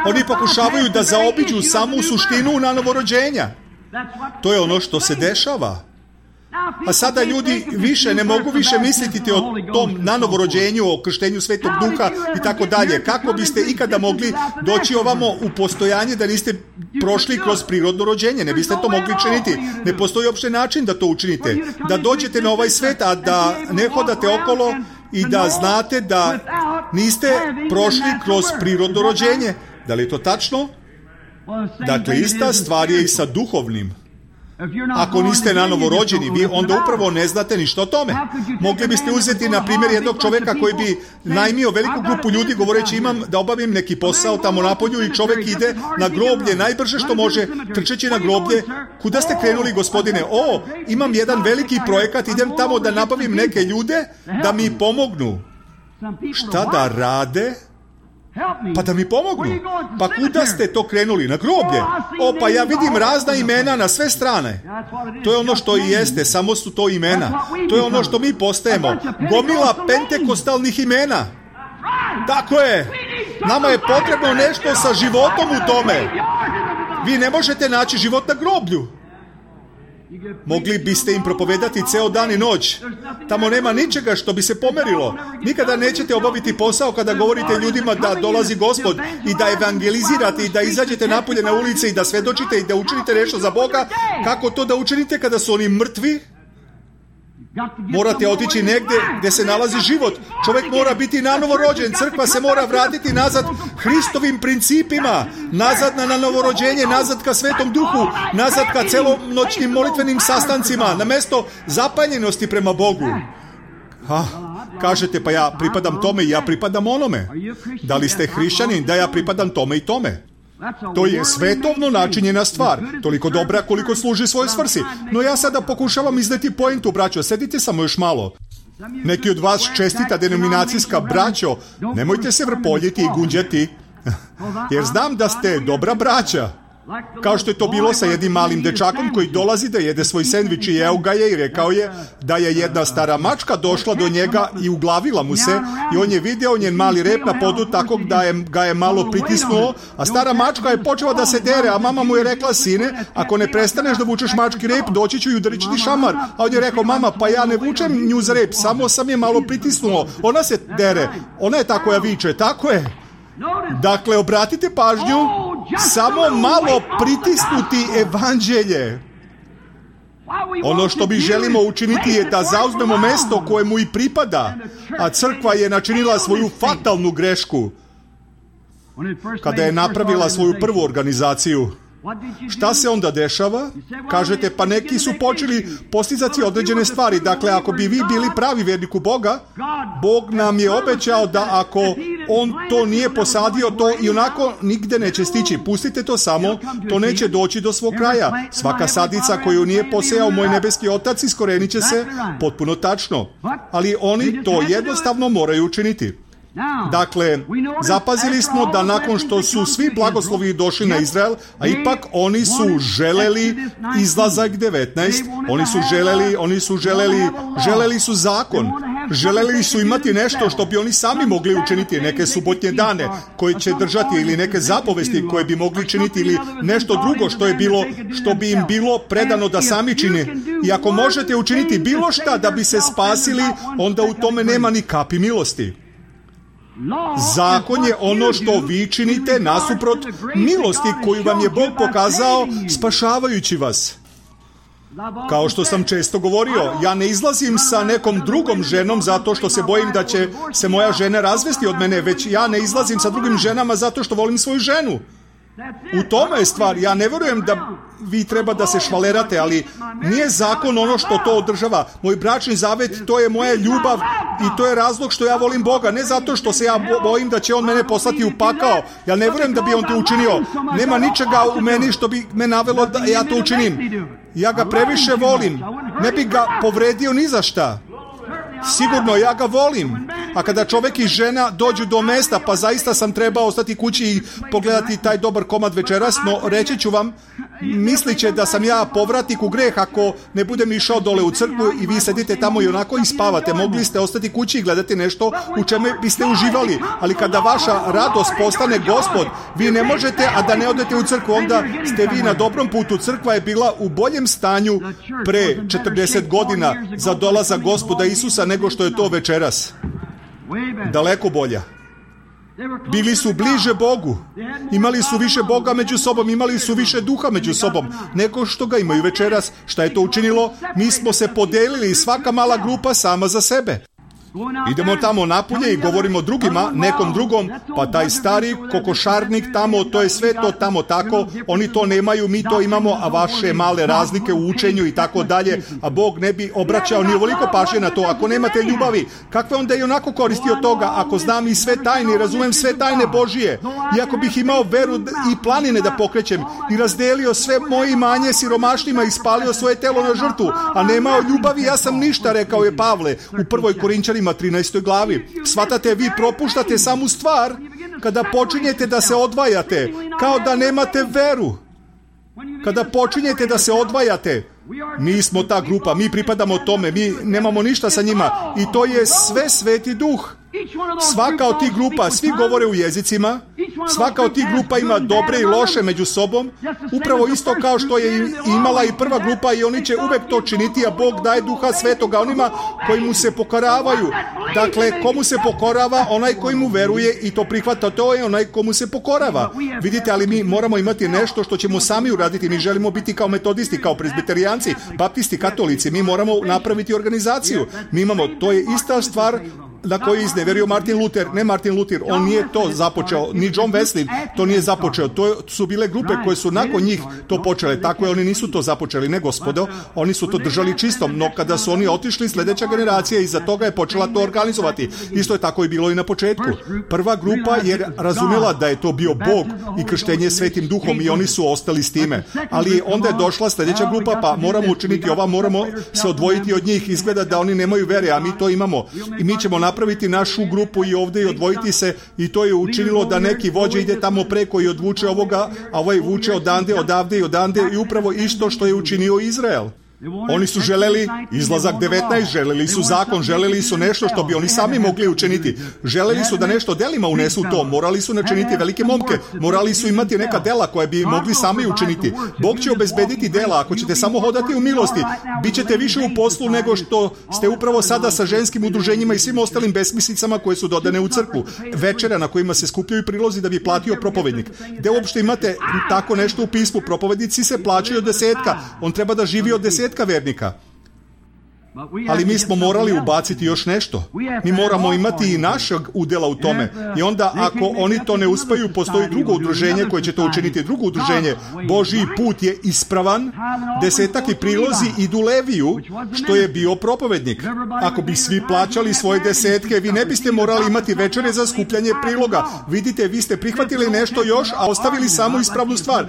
Oni pokušavaju da zaobiđu samu suštinu nanovorođenja. To je ono što se dešava. A sada ljudi više ne mogu više misliti o tom nanovorođenju, o krštenju Svetog Duha i tako dalje. Kako biste ikada mogli doći ovamo u postojanje da niste prošli kroz prirodno rođenje? Ne biste to mogli činiti. Ne postoji uopšte način da to učinite. Da dođete na ovaj svet, a da ne hodate okolo i da znate da niste prošli kroz prirodno rođenje. Da li je to tačno? Dakle, ista stvar je i sa duhovnim. Ako niste nanovo rođeni, vi onda upravo ne znate ništa o tome. Mogli biste uzeti, na primjer, jednog čoveka koji bi najmio veliku grupu ljudi govoreći imam da obavim neki posao tamo napolju i čovek ide na groblje najbrže što može, trčeći na groblje. Kuda ste krenuli, gospodine? O, imam jedan veliki projekat, idem tamo da nabavim neke ljude da mi pomognu. Šta da rade? Pa da mi pomognu. Pa kuda ste to krenuli? Na groblje? O, pa ja vidim razna imena na sve strane. To je ono što i jeste, samo su to imena. To je ono što mi postajemo. Gomila pentekostalnih imena. Tako je. Nama je potrebno nešto sa životom u tome. Vi ne možete naći život na groblju. Mogli biste im propovedati ceo dan i noć. Tamo nema ničega što bi se pomerilo. Nikada nećete obaviti posao kada govorite ljudima da dolazi Gospod i da evangelizirate i da izađete napolje na ulice i da svedočite i da učinite nešto za Boga. Kako to da učinite kada su oni mrtvi? Morate otići negdje gdje se nalazi život. Čovjek mora biti nanovo rođen. Crkva se mora vratiti nazad Hristovim principima. Nazad na novorođenje, nazad ka Svetom Duhu, nazad ka celonoćnim molitvenim sastancima, na mjesto zapanjenosti prema Bogu. Ha, kažete, pa ja pripadam tome i ja pripadam onome. Da li ste hrišćanin? Da, ja pripadam tome i tome. To je svetovno načinjena stvar, toliko dobra koliko služi svojoj svrsi. No ja sada pokušavam izneti pointu, braćo, sedite samo još malo. Neki od vas čestita denominacijska, braćo, nemojte se vrpoljiti i gunđati, jer znam da ste dobra braća. Kao što je to bilo sa jednim malim dečakom koji dolazi da jede svoj sendvič i jeo ga je i rekao je da je jedna stara mačka došla do njega i uglavila mu se i on je video njen mali rep na podu tako da je, ga je malo pritisnuo, a stara mačka je počela da se dere, a mama mu je rekla, sine, ako ne prestaneš da vučeš mački rep, doći ću i udariti ti šamar. A on je rekao, mama, pa ja ne vučem nju za rep, samo sam je malo pritisnuo, ona se dere, ona je ta koja viče, tako je. Dakle, obratite pažnju, samo malo pritisnuti evanđelje. Ono što mi želimo učiniti je da zauzmemo mjesto koje mu i pripada, a crkva je načinila svoju fatalnu grešku kada je napravila svoju prvu organizaciju. Šta se onda dešava? Kažete, pa neki su počeli postizati određene stvari. Dakle, ako bi vi bili pravi vjernik u Boga, Bog nam je obećao da ako On to nije posadio, to i onako nigde neće stići. Pustite to samo, to neće doći do svog kraja. Svaka sadica koju nije posejao moj nebeski Otac iskorenit će se, potpuno tačno. Ali oni to jednostavno moraju učiniti. Dakle, zapazili smo da nakon što su svi blagoslovi došli na Izrael, a ipak oni su želeli izlazak devetnaest, oni su želeli, oni su želeli, želeli su zakon, želeli su imati nešto što bi oni sami mogli učiniti, neke subotnje dane koje će držati ili neke zapovesti koje bi mogli činiti ili nešto drugo što je bilo, što bi im bilo predano da sami čine. I ako možete učiniti bilo šta da bi se spasili, onda u tome nema ni kapi milosti. Zakon je ono što vi činite nasuprot milosti koju vam je Bog pokazao spašavajući vas. Kao što sam često govorio, ja ne izlazim sa nekom drugom ženom zato što se bojim da će se moja žena razvesti od mene, već ja ne izlazim sa drugim ženama zato što volim svoju ženu. U tome je stvar. Ja ne vjerujem da vi treba da se švalerate, ali nije zakon ono što to održava. Moj bračni zavet, to je moja ljubav i to je razlog što ja volim Boga. Ne zato što se ja bojim da će On mene poslati u pakao. Ja ne vjerujem da bi On to učinio. Nema ničega u meni što bi me navelo da ja to učinim. Ja ga previše volim. Ne bi ga povredio ni za šta. Sigurno, ja ga volim. A kada čovjek i žena dođu do mesta, pa zaista sam trebao ostati kući i pogledati taj dobar komad večeras, no reći ću vam, mislit će da sam ja povratnik u greh ako ne budem išao dole u crkvu i vi sedite tamo i onako i spavate. Mogli ste ostati kući i gledati nešto u čemu biste uživali. Ali kada vaša radost postane Gospod, vi ne možete, a da ne odete u crkvu, onda ste vi na dobrom putu. Crkva je bila u boljem stanju pre četrdeset godina za dolazak Gospoda Isusa nego što je to večeras. Daleko bolja. Bili su bliže Bogu. Imali su više Boga među sobom, imali su više duha među sobom nego što ga imaju večeras. Šta je to učinilo? Mi smo se podelili, svaka mala grupa sama za sebe. Idemo tamo napolje i govorimo drugima, nekom drugom, pa taj stari kokošarnik tamo, to je sve to tamo tako, oni to nemaju, mi to imamo, a vaše male razlike u učenju i tako dalje, a Bog ne bi obraćao ni ovoliko pažnje na to. Ako nemate ljubavi, kakve onda i onako koristi od toga? Ako znam i sve tajne, razumem sve tajne Božije, i ako bih imao veru i planine da pokrećem i razdelio sve moje imanje siromašnima i spalio svoje telo na žrtvu, a nemao ljubavi, ja sam ništa, rekao je Pavle u prvoj Korinčanima trinaestoj glavi. Svatate, vi propuštate samu stvar kada počinjete da se odvajate, kao da nemate veru. Kada počinjete da se odvajate, mi smo ta grupa, mi pripadamo tome, mi nemamo ništa sa njima i to je sve Sveti Duh. Svaka od tih grupa, svi govore u jezicima, Svaka od tih grupa ima dobre i loše među sobom, upravo isto kao što je imala i prva grupa, i oni će uvek to činiti, a Bog daje Duha Svetoga onima koji mu se pokoravaju. Dakle, komu se pokorava? Onaj koji mu veruje i to prihvata, to je onaj komu se pokorava. Vidite, ali mi moramo imati nešto što ćemo sami uraditi. Mi želimo biti kao metodisti, kao presbiterijanci, baptisti, katolici. Mi moramo napraviti organizaciju. Mi imamo, to je ista stvar na koji je izneverio Martin Luther. Ne Martin Luther, on nije to započeo, ni John Wesley to nije započeo. To su bile grupe koje su nakon njih to počele. Tako je, oni nisu to započeli, ne gospodo, oni su to držali čistom, no kada su oni otišli, sljedeća generacija iza toga je počela to organizovati. Isto je tako i bilo i na početku. Prva grupa je razumjela da je to bio Bog i krštenje Svetim Duhom, i oni su ostali s time. Ali onda je došla sljedeća grupa, pa moramo učiniti ova, moramo se odvojiti od njih. Izgleda da oni nemaju vere, a mi to imamo. I mi ćemo napraviti našu grupu i ovdje i odvojiti se, i to je učinilo da neki vođe ide tamo preko i odvuče ovoga, a ovaj vuče odande, odavde i odande, i upravo isto što je učinio Izrael. Oni su želeli izlazak devetnaest, želeli su zakon, želeli su nešto što bi oni sami mogli učiniti. Želeli su da nešto delima unesu to, morali su načiniti velike momke, morali su imati neka dela koje bi mogli sami učiniti. Bog će obezbediti dela, ako ćete samo hodati u milosti, bit ćete više u poslu nego što ste upravo sada sa ženskim udruženjima i svim ostalim besmislicama koje su dodane u crkvu. Večera na kojima se skupljaju prilozi da bi platio propovednik. Gde uopšte imate tako nešto u pismu? Propovednici se plaćaju od desetka, on treba da živi od desetka vernika. Ali mi smo morali ubaciti još nešto. Mi moramo imati i našeg udjela u tome. I onda ako oni to ne uspeju, postoji drugo udruženje koje će to učiniti. Drugo udruženje, Božji put je ispravan, desetak i prilozi idu Leviju, što je bio propovednik. Ako bi svi plaćali svoje desetke, vi ne biste morali imati večere za skupljanje priloga. Vidite, vi ste prihvatili nešto još, a ostavili samo ispravnu stvar.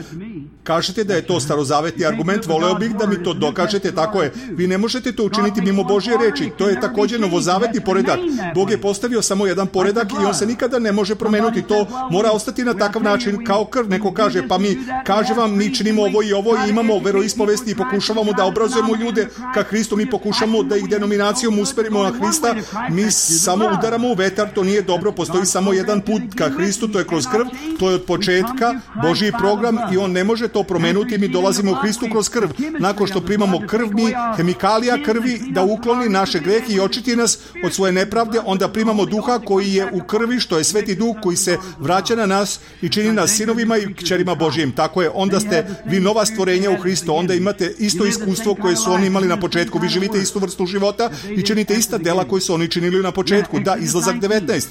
Kažete da je to starozavetni argument, voleo bih da mi to dokažete, tako je. Vi ne možete to učiniti mimo Božje reči. To je također novozavetni poredak. Bog je postavio samo jedan poredak i on se nikada ne može promenuti. To mora ostati na takav način kao krv. Neko kaže, pa mi, kaže vam, mi činimo ovo i ovo i imamo veroispovesti i pokušavamo da obrazujemo ljude ka Hristu, mi pokušamo da ih denominacijom usmerimo na Hrista, mi samo udaramo u vetar, to nije dobro, postoji samo jedan put ka Hristu, to je kroz krv, to je od početka Božji program i on ne može to promenuti, mi dolazimo u Hristu kroz krv. Nakon što primamo krv, mi hemikalija krvi da ukloni naše grehe i očiti nas od svoje nepravde, onda primamo duha koji je u krvi, što je Sveti Duh koji se vraća na nas i čini nas sinovima i kćerima Božjim. Tako je, onda ste vi nova stvorenja u Hristu, onda imate isto iskustvo koje su oni imali na početku, vi živite istu vrstu života i činite ista dela koje su oni činili na početku. Da, izlazak devetnaest.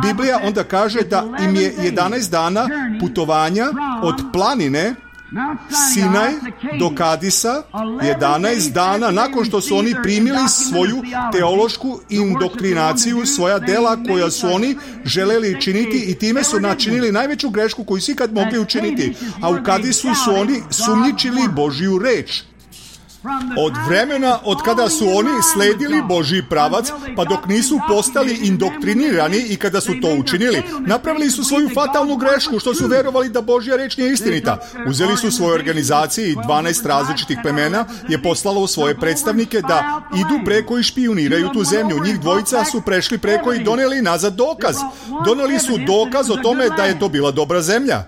Biblija onda kaže da im je jedanaest dana putovanja od planine Sinaj do Kadisa, jedanaest dana nakon što su oni primili svoju teološku indoktrinaciju, svoja dela koja su oni želeli činiti i time su načinili najveću grešku koju su ikad mogli učiniti. A u Kadisu su oni sumnjičili Božju reč. Od vremena od kada su oni sledili Božji pravac, pa dok nisu postali indoktrinirani i kada su to učinili, napravili su svoju fatalnu grešku što su verovali da Božja reč nije istinita. Uzeli su svoje organizacije i dvanaest različitih plemena je poslalo svoje predstavnike da idu preko i špijuniraju tu zemlju. Njih dvojica su prešli preko i doneli nazad dokaz. Doneli su dokaz o tome da je to bila dobra zemlja.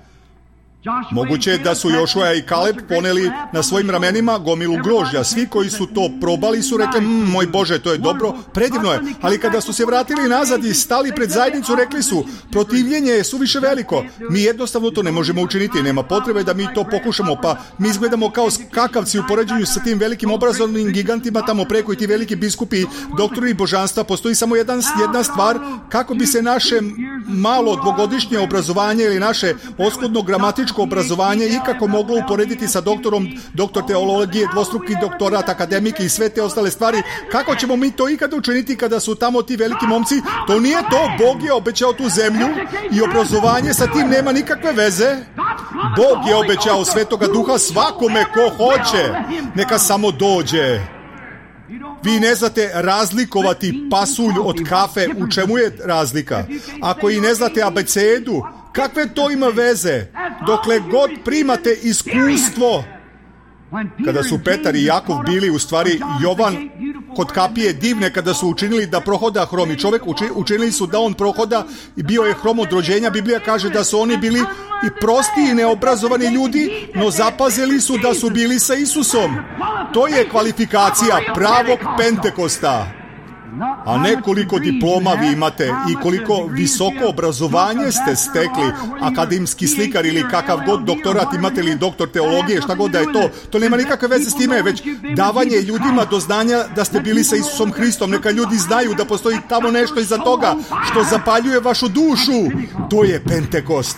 Moguće je da su Jošua i Kaleb poneli na svojim ramenima gomilu grožđa. Svi koji su to probali su rekli, mmm, moj Bože, to je dobro, predivno je. Ali kada su se vratili nazad i stali pred zajednicu, rekli su, protivljenje je suviše veliko. Mi jednostavno to ne možemo učiniti. Nema potrebe da mi to pokušamo, pa mi izgledamo kao skakavci u poređenju sa tim velikim obrazovnim gigantima tamo preko i ti veliki biskupi, doktori božanstva. Postoji samo jedan, jedna stvar, kako bi se naše malo dvogodišnje obrazovanje ili naše oskudno gramatičko obrazovanje ikako moglo uporediti sa doktorom, doktor teologije, dvostruki doktorat, akademike i sve te ostale stvari. Kako ćemo mi to ikada učiniti kada su tamo ti veliki momci? To nije to. Bog je obećao tu zemlju i obrazovanje sa tim nema nikakve veze. Bog je obećao Svetoga Duha svakome ko hoće. Neka samo dođe. Vi ne znate razlikovati pasulj od kafe. U čemu je razlika? Ako i ne znate abecedu, kakve to ima veze? Dokle god primate iskustvo. Kada su Petar i Jakov bili, u stvari Jovan kod kapije divne kada su učinili da prohoda hromi čovek, učinili su da on prohoda i bio je hrom od rođenja. Biblija kaže da su oni bili i prosti i neobrazovani ljudi, no zapazili su da su bili sa Isusom. To je kvalifikacija pravog Pentekosta. A ne koliko diploma vi imate i koliko visoko obrazovanje ste stekli, akademski slikar ili kakav god doktorat imate ili doktor teologije, šta god da je to, to nema nikakve veze s time, već davanje ljudima do znanja da ste bili sa Isusom Hristom. Neka ljudi znaju da postoji tamo nešto iza toga što zapaljuje vašu dušu. To je Pentekost.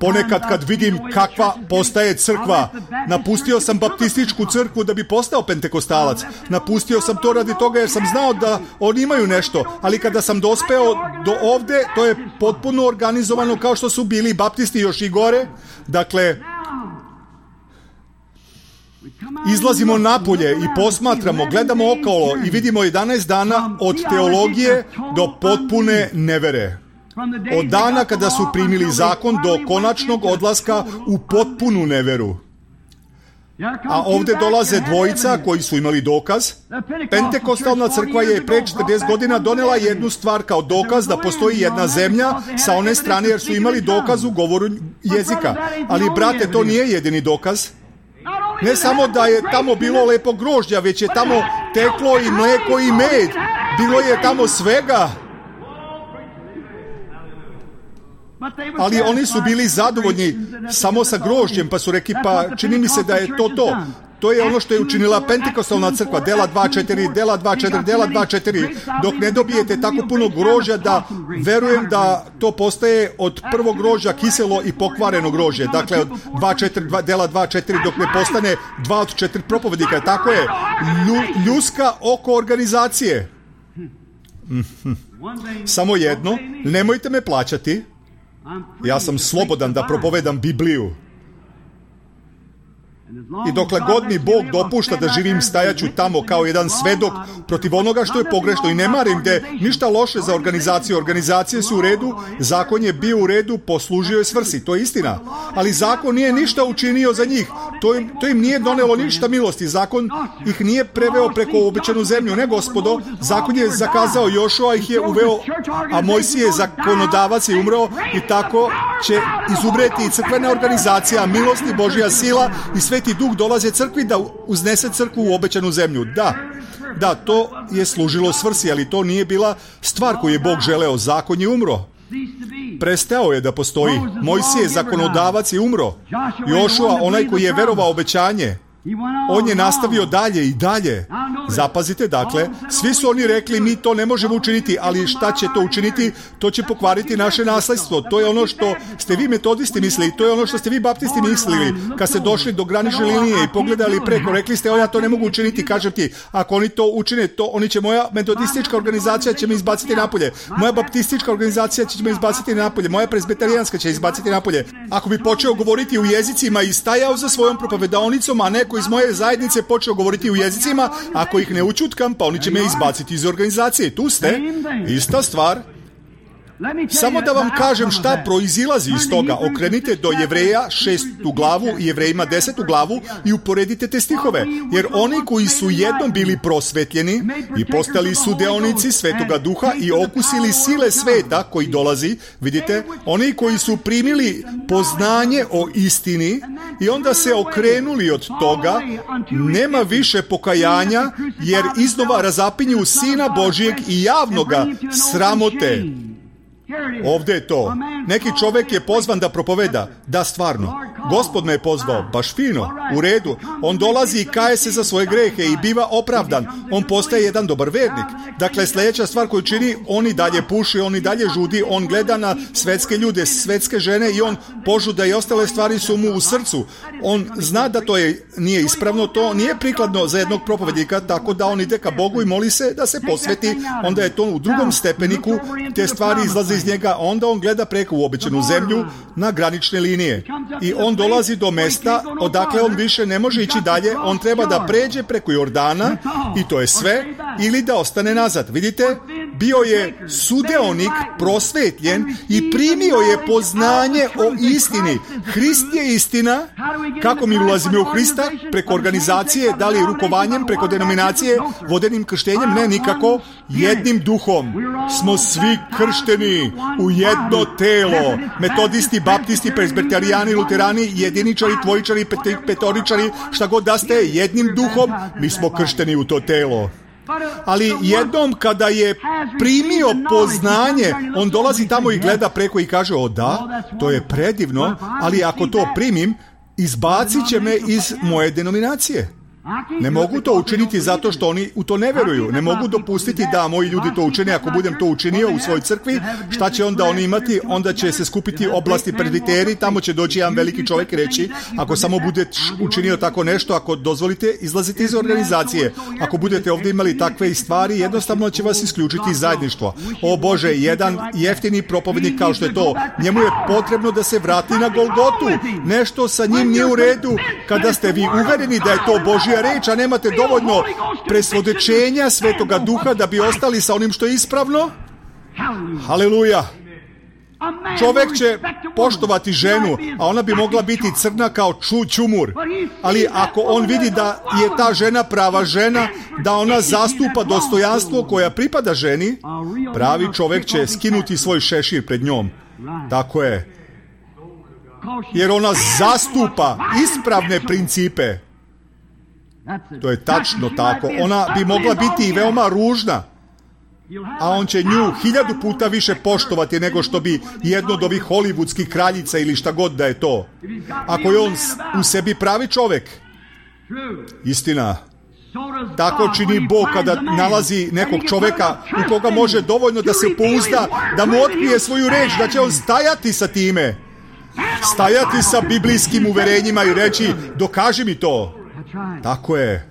Ponekad kad vidim kakva postaje crkva, napustio sam baptističku crkvu da bi postao pentekostalac. Napustio sam to radi toga jer sam znao da oni imaju nešto, ali kada sam dospeo do ovde, to je potpuno organizovano kao što su bili baptisti još i gore. Dakle, izlazimo napolje i posmatramo, gledamo okolo i vidimo jedanaest dana od teologije do potpune nevere. Od dana kada su primili zakon do konačnog odlaska u potpunu neveru. A ovdje dolaze dvojica koji su imali dokaz. Pentekostalna crkva je pre četrdeset godina donela jednu stvar kao dokaz da postoji jedna zemlja sa one strane jer su imali dokaz u govoru jezika. Ali, brate, to nije jedini dokaz. Ne samo da je tamo bilo lepo grožđa, već je tamo teklo i mleko i med. Bilo je tamo svega. Ali oni su bili zadovoljni samo sa grožđem, pa su rekli, pa čini mi se da je to to. To je ono što je učinila Pentekostalna crkva, dela dva četiri, dela dva četiri, dela dva četiri. Dok ne dobijete tako puno grožđa da verujem da to postaje od prvog grožđa kiselo i pokvareno grožđe. Dakle, od dva četiri, dela dva četiri dok ne postane dva od četiri propovednika. Tako je, lju, ljuska oko organizacije. Mm-hmm. Samo jedno, nemojte me plaćati. Ja sam slobodan da propovedam Bibliju. I dokle god mi Bog dopušta da živim, stajaću tamo kao jedan svedok protiv onoga što je pogrešno i ne marim gde ništa loše za organizaciju. Organizacije su u redu, zakon je bio u redu, poslužio je svrsi, to je istina. Ali zakon nije ništa učinio za njih. To im, to im nije donelo ništa milosti. Zakon ih nije preveo preko obećanu zemlju. Ne, gospodo, zakon je zakazao, Jošua ih je uveo, a Mojsije je zakonodavac i umreo i tako će izumreti i crkvena organizacija, milost i Božja sila i Sveti Duh dolaze crkvi da uznese crkvu u obećanu zemlju. Da, da, to je služilo svrsi, ali to nije bila stvar koju je Bog želeo. Zakon je umro. Prestao je da postoji. Mojsije je zakonodavac i umro. Jošua, onaj koji je verovao obećanje, on je nastavio dalje i dalje. Zapazite, dakle, svi su oni rekli, mi to ne možemo učiniti, ali šta će to učiniti? To će pokvariti naše nasledstvo. To je ono što ste vi metodisti mislili, to je ono što ste vi baptisti mislili. Kad ste došli do granične linije i pogledali preko, rekli ste, o, ja to ne mogu učiniti, kažem ti, ako oni to učine, to oni će, moja metodistička organizacija će me izbaciti napolje, moja baptistička organizacija će me izbaciti napolje, moja presbiterijanska će izbaciti napolje. Ako bi počeo govoriti u jezicima i stajao za svojom propovedaonicom, a neko iz moje zajednice počeo govoriti u jezicima, ako ih ne učutkam, pa oni će me izbaciti iz organizacije. Tu ste, ista stvar. Samo da vam kažem šta proizilazi iz toga. Okrenite do Jevreja šestu glavu i Jevrejima desetu glavu i uporedite te stihove. Jer oni koji su jednom bili prosvetljeni i postali su deonici Svetoga Duha i okusili sile sveta koji dolazi, vidite, oni koji su primili poznanje o istini i onda se okrenuli od toga, nema više pokajanja jer iznova razapinju Sina Božijeg i javno ga sramote. Ovdje je to. Neki čovjek je pozvan da propoveda. Da, stvarno. Gospod me je pozvao. Baš fino. U redu. On dolazi i kaje se za svoje grehe i biva opravdan. On postaje jedan dobar vernik. Dakle, sljedeća stvar koju čini, on i dalje puši, on i dalje žudi, on gleda na svetske ljude, svetske žene i on požuda i ostale stvari su mu u srcu. On zna da to je, nije ispravno, to nije prikladno za jednog propovednika, tako da on ide ka Bogu i moli se da se posveti. Onda je to u drugom stepeniku, te stvari izlaze iz njega, onda on gleda preko u obećanu zemlju na granične linije. I on dolazi do mesta odakle on više ne može ići dalje, on treba da pređe preko Jordana i to je sve, ili da ostane nazad. Vidite, bio je sudeonik, prosvetljen i primio je poznanje o istini. Hrist je istina. Kako mi ulazimo u Hrista? Preko organizacije, da li rukovanjem, preko denominacije, vodenim krštenjem? Ne, nikako. Jednim duhom smo svi kršteni u jedno telo. Metodisti, baptisti, presbiterijani, luterani, jediničari, dvojičari, petoričari, šta god da ste, jednim duhom, mi smo kršteni u to telo. Ali jednom kada je primio poznanje, on dolazi tamo i gleda preko i kaže, o da, to je predivno, ali ako to primim, izbacit će me iz moje denominacije. Ne mogu to učiniti zato što oni u to ne veruju. Ne mogu dopustiti da moji ljudi to učine. Ako budem to učinio u svojoj crkvi, šta će onda oni imati? Onda će se skupiti oblasti presbiteri, tamo će doći jedan veliki čovjek i reći, ako samo budete učinio tako nešto, ako dozvolite, izlazite iz organizacije. Ako budete ovdje imali takve stvari, jednostavno će vas isključiti iz zajedništva. O Bože, jedan jeftini propovednik kao što je to, njemu je potrebno da se vrati na Golgotu. Nešto sa njim nije u redu. Kada ste vi uvereni da je to Božja reč, a nemate dovoljno presvjedočenja Svetoga Duha da bi ostali sa onim što je ispravno. Haleluja. Čovjek će poštovati ženu, a ona bi mogla biti crna kao ču, čumur. Ali ako on vidi da je ta žena prava žena, da ona zastupa dostojanstvo koja pripada ženi, pravi čovjek će skinuti svoj šešir pred njom. Tako je. Jer ona zastupa ispravne principe. To je tačno tako. Ona bi mogla biti i veoma ružna, a on će nju hiljadu puta više poštovati nego što bi jedno od ovih hollywoodskih kraljica ili šta god da je to. Ako je on u sebi pravi čovjek. Istina. Tako čini Bog kada nalazi nekog čovjeka u koga može dovoljno da se pouzda, da mu otkrije svoju reč, da će on stajati sa time. Stajati sa biblijskim uverenjima i reći, dokaži mi to. Tako je.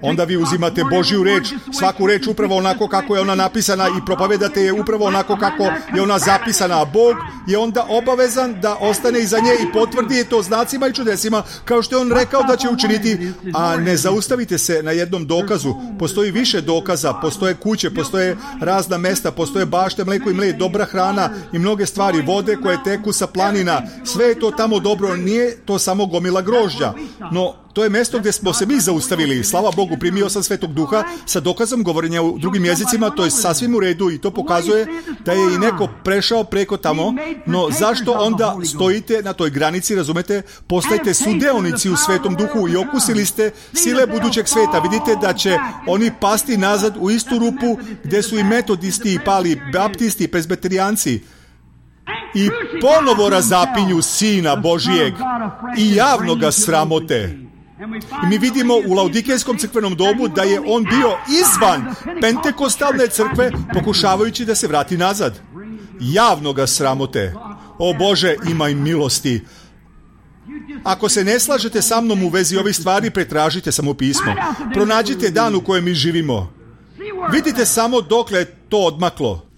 Onda vi uzimate Božju reč, svaku reč upravo onako kako je ona napisana i propovedate je upravo onako kako je ona zapisana. A Bog je onda obavezan da ostane iza nje i potvrdi je to znacima i čudesima, kao što je on rekao da će učiniti. A ne zaustavite se na jednom dokazu. Postoji više dokaza, postoje kuće, postoje razna mesta, postoje bašte, mleko i mlej, dobra hrana i mnoge stvari, vode koje teku sa planina. Sve je to tamo dobro, nije to samo gomila grožđa. No, to je mjesto gdje smo se mi zaustavili. Slava Bogu, primio sam Svetog Duha sa dokazom govorenja u drugim jezicima, to je sasvim u redu i to pokazuje da je i neko prešao preko tamo, no zašto onda stojite na toj granici, razumete? Postajte sudeonici u Svetom Duhu i okusili ste sile budućeg sveta. Vidite da će oni pasti nazad u istu rupu gdje su i metodisti, i pali baptisti, i presbiterijanci. I ponovo razapinju Sina Božijeg i javno ga sramote. I mi vidimo u Laodikejskom crkvenom domu da je on bio izvan pentekostalne crkve pokušavajući da se vrati nazad. Javno ga sramote. O Bože, imaj milosti. Ako se ne slažete sa mnom u vezi ovih stvari, pretražite samo pismo. Pronađite dan u kojem mi živimo. Vidite samo dokle je to odmaklo.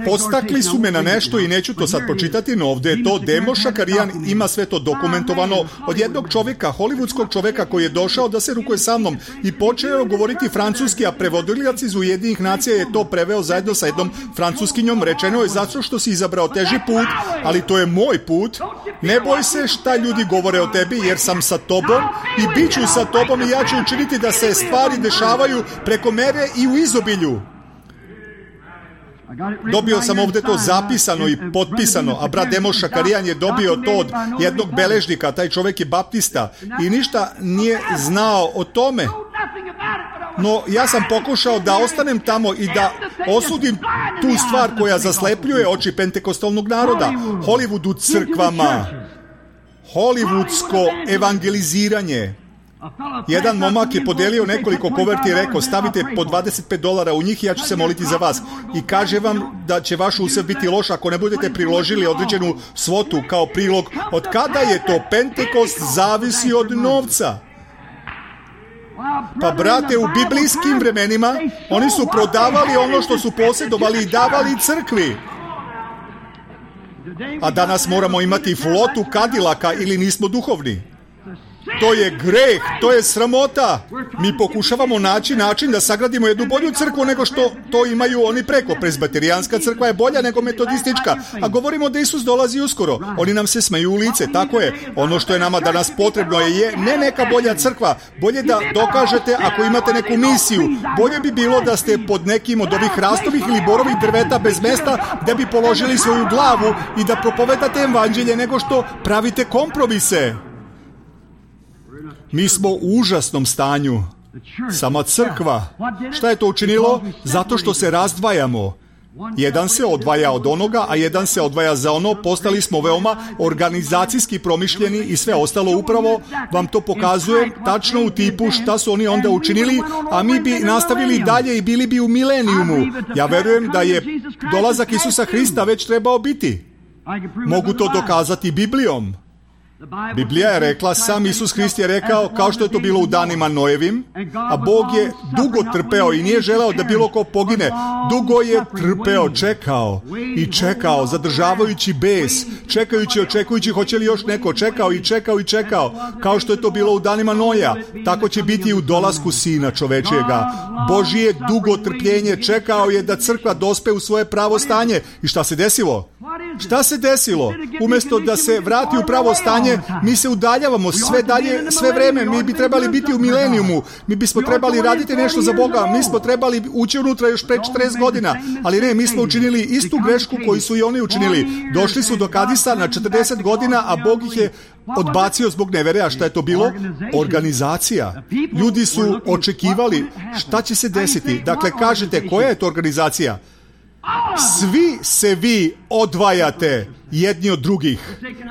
Podstakli su me na nešto i neću to sad pročitati, no ovdje je to. Demo Šakarijan ima sve to dokumentovano od jednog čovjeka, hollywoodskog čovjeka koji je došao da se rukuje sa mnom i počeo govoriti francuski, a prevodilac iz Ujedinjenih nacija je to preveo zajedno sa jednom francuskinjom. Rečeno je zato što si izabrao teži put, ali to je moj put. Ne boj se šta ljudi govore o tebi, jer sam sa tobom i bit ću sa tobom i ja ću učiniti da se stvari dešavaju preko mere i u izobilju. Dobio sam ovdje to zapisano i potpisano, a brat Demo Šakarijan je dobio to od jednog beležnika, taj čovjek je baptista i ništa nije znao o tome. No, ja sam pokušao da ostanem tamo i da osudim tu stvar koja zaslepljuje oči pentekostalnog naroda. Hollywood u crkvama, hollywoodsko evangeliziranje. Jedan momak je podelio nekoliko koverti i rekao, stavite po dvadeset pet dolara u njih i ja ću se moliti za vas. I kaže vam da će vaš usjev biti loš ako ne budete priložili određenu svotu kao prilog. Od kada je to? Pentekost zavisi od novca. Pa brate, u biblijskim vremenima oni su prodavali ono što su posjedovali i davali crkvi. A danas moramo imati flotu Kadilaka ili nismo duhovni. To je greh, to je sramota. Mi pokušavamo naći način da sagradimo jednu bolju crkvu nego što to imaju oni preko. Presbiterijanska crkva je bolja nego metodistička, a govorimo da Isus dolazi uskoro. Oni nam se smeju u lice, tako je. Ono što je nama danas potrebno je, je ne neka bolja crkva. Bolje da dokažete ako imate neku misiju. Bolje bi bilo da ste pod nekim od ovih hrastovih ili borovih drveta bez mesta da bi položili svoju glavu i da propovedate evanđelje nego što pravite kompromise. Mi smo u užasnom stanju. Sama crkva. Šta je to učinilo? Zato što se razdvajamo. Jedan se odvaja od onoga, a jedan se odvaja za ono. Postali smo veoma organizacijski promišljeni i sve ostalo. Upravo vam to pokazuje tačno u tipu šta su oni onda učinili, a mi bi nastavili dalje i bili bi u milenijumu. Ja verujem da je dolazak Isusa Hrista već trebao biti. Mogu to dokazati Biblijom. Biblija je rekla, sam Isus Hrist je rekao, kao što je to bilo u danima Noevim, a Bog je dugo trpeo i nije želeo da bilo ko pogine. Dugo je trpeo, čekao i čekao, zadržavajući bes, čekajući, očekujući hoće li još neko, čekao i čekao i čekao, kao što je to bilo u danima Noja. Tako će biti i u dolasku Sina čovečijega. Božije dugo trpljenje, čekao je da crkva dospe u svoje pravo stanje. I šta se desilo? Šta se desilo? Umjesto da se vrati u pravo stanje, mi se udaljavamo sve dalje, sve vreme. Mi bi trebali biti u milenijumu. Mi bismo trebali raditi nešto za Boga. Mi smo trebali ući unutra još pre četrdeset godina. Ali ne, mi smo učinili istu grešku koju su i oni učinili. Došli su do Kadisa na četrdeset godina, a Bog ih je odbacio zbog nevere. A šta je to bilo? Organizacija. Ljudi su očekivali šta će se desiti. Dakle, kažete, koja je to organizacija? Svi se vi odvajate jedni od drugih.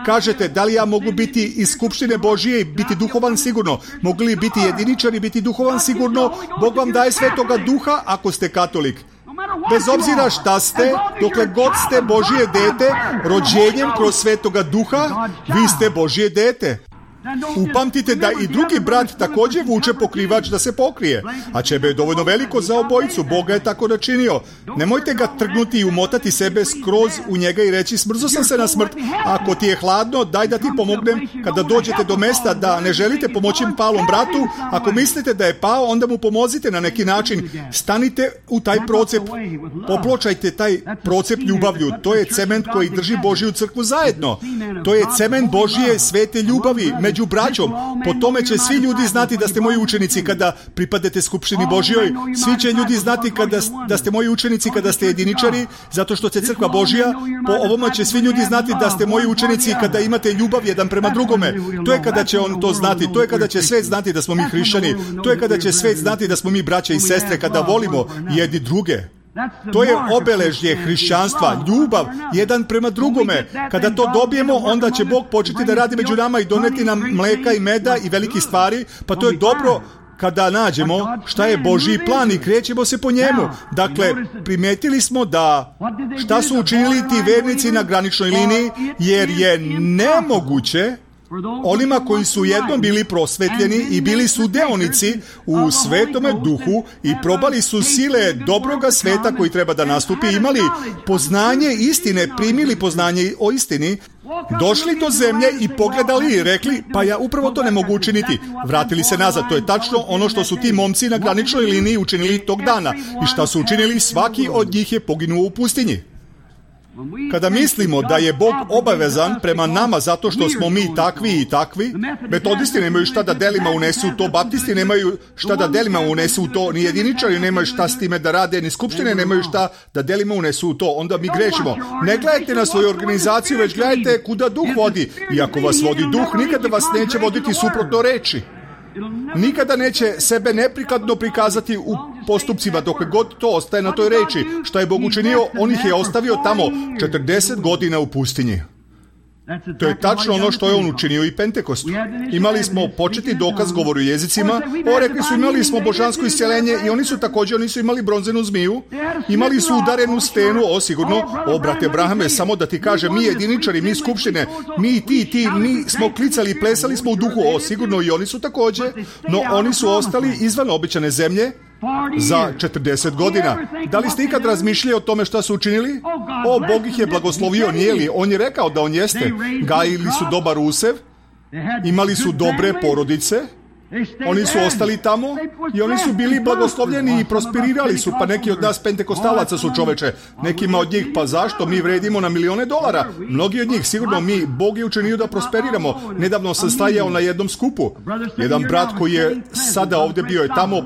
Kažete, da li ja mogu biti iz skupštine Božije i biti duhovan sigurno? Mogu li biti jediničar i biti duhovan sigurno? Bog vam daje svetoga duha ako ste katolik. Bez obzira šta ste, dokle god ste Božije dete, rođenjem kroz svetoga duha, vi ste Božije dete. Upamtite da i drugi brat također vuče pokrivač da se pokrije, a ćebe je dovoljno veliko za obojicu. Boga je tako načinio. Nemojte ga trgnuti i umotati sebe skroz u njega i reći, smrzo sam se na smrt. Ako ti je hladno, daj da ti pomognem. Kada dođete do mesta da ne želite pomoći palom bratu, ako mislite da je pao, onda mu pomozite na neki način. Stanite u taj procep, popločajte taj procep ljubavlju. To je cement koji drži Božiju crkvu zajedno. To je cement Božije svete ljubavi među braćom. Po tome će svi ljudi znati da ste moji učenici kada pripadete skupštini Božjoj. Svi će ljudi znati kada, da ste moji učenici kada ste jediničari, zato što ste crkva Božja. Po ovome će svi ljudi znati da ste moji učenici kada imate ljubav jedan prema drugome. To je kada će on to znati. To je kada će svet znati da smo mi hrišćani. To je kada će svet znati da smo mi braća i sestre, kada volimo jedni druge. To je obeležje hrišćanstva, ljubav jedan prema drugome. Kada to dobijemo, onda će Bog početi da radi među nama i doneti nam mleka i meda i veliki stvari, pa to je dobro kada nađemo šta je Božji plan i krećemo se po njemu. Dakle, primetili smo da šta su učinili ti vernici na graničnoj liniji, jer je nemoguće onima koji su jednom bili prosvetljeni i bili su deonici u svetome duhu i probali su sile dobroga sveta koji treba da nastupi, imali poznanje istine, primili poznanje o istini, došli do zemlje i pogledali i rekli, pa ja upravo to ne mogu učiniti. Vratili se nazad. To je tačno ono što su ti momci na graničnoj liniji učinili tog dana. I šta su učinili? Svaki od njih je poginuo u pustinji. Kada mislimo da je Bog obavezan prema nama zato što smo mi takvi i takvi, metodisti nemaju šta da delima unesu u to, baptisti nemaju šta da delima unesu u to, ni jediničari nemaju šta s time da rade, ni skupštine nemaju šta da delima unesu u to, onda mi grešimo. Ne gledajte na svoju organizaciju, već gledajte kuda duh vodi. I ako vas vodi duh, nikada vas neće voditi suprotno reči. Nikada neće sebe neprikladno prikazati u postupcima dok god to ostaje na toj reči. Šta je Bog učinio? On ih je ostavio tamo četrdeset godina u pustinji. To je tačno ono što je on učinio i Pentekostu. Imali smo početni dokaz govoru jezicima, o rekli su imali smo božansko isceljenje i oni su također, oni su imali bronzenu zmiju, imali su udarenu stenu, o sigurno, o brate Abrahame, samo da ti kažem, mi jediničari, mi skupštine, mi ti, ti, mi smo klicali i plesali smo u duhu, o sigurno i oni su također, no oni su ostali izvan obećane zemlje za četrdeset godina. Da li ste ikad razmišljali o tome šta su učinili? O, Bog ih je blagoslovio, nije li? On je rekao da on jeste. Gajili su dobar usev Imali su dobre porodice, oni su ostali tamo i oni su bili blagoslovljeni i prosperirali su, pa neki od nas pentekostalaca su, čoveče, nekima od njih, pa zašto, mi vredimo na milione dolara, mnogi od njih, sigurno mi, Bog je učinio da prosperiramo. Nedavno sam stajao na jednom skupu, jedan brat koji je sada ovde bio je tamo,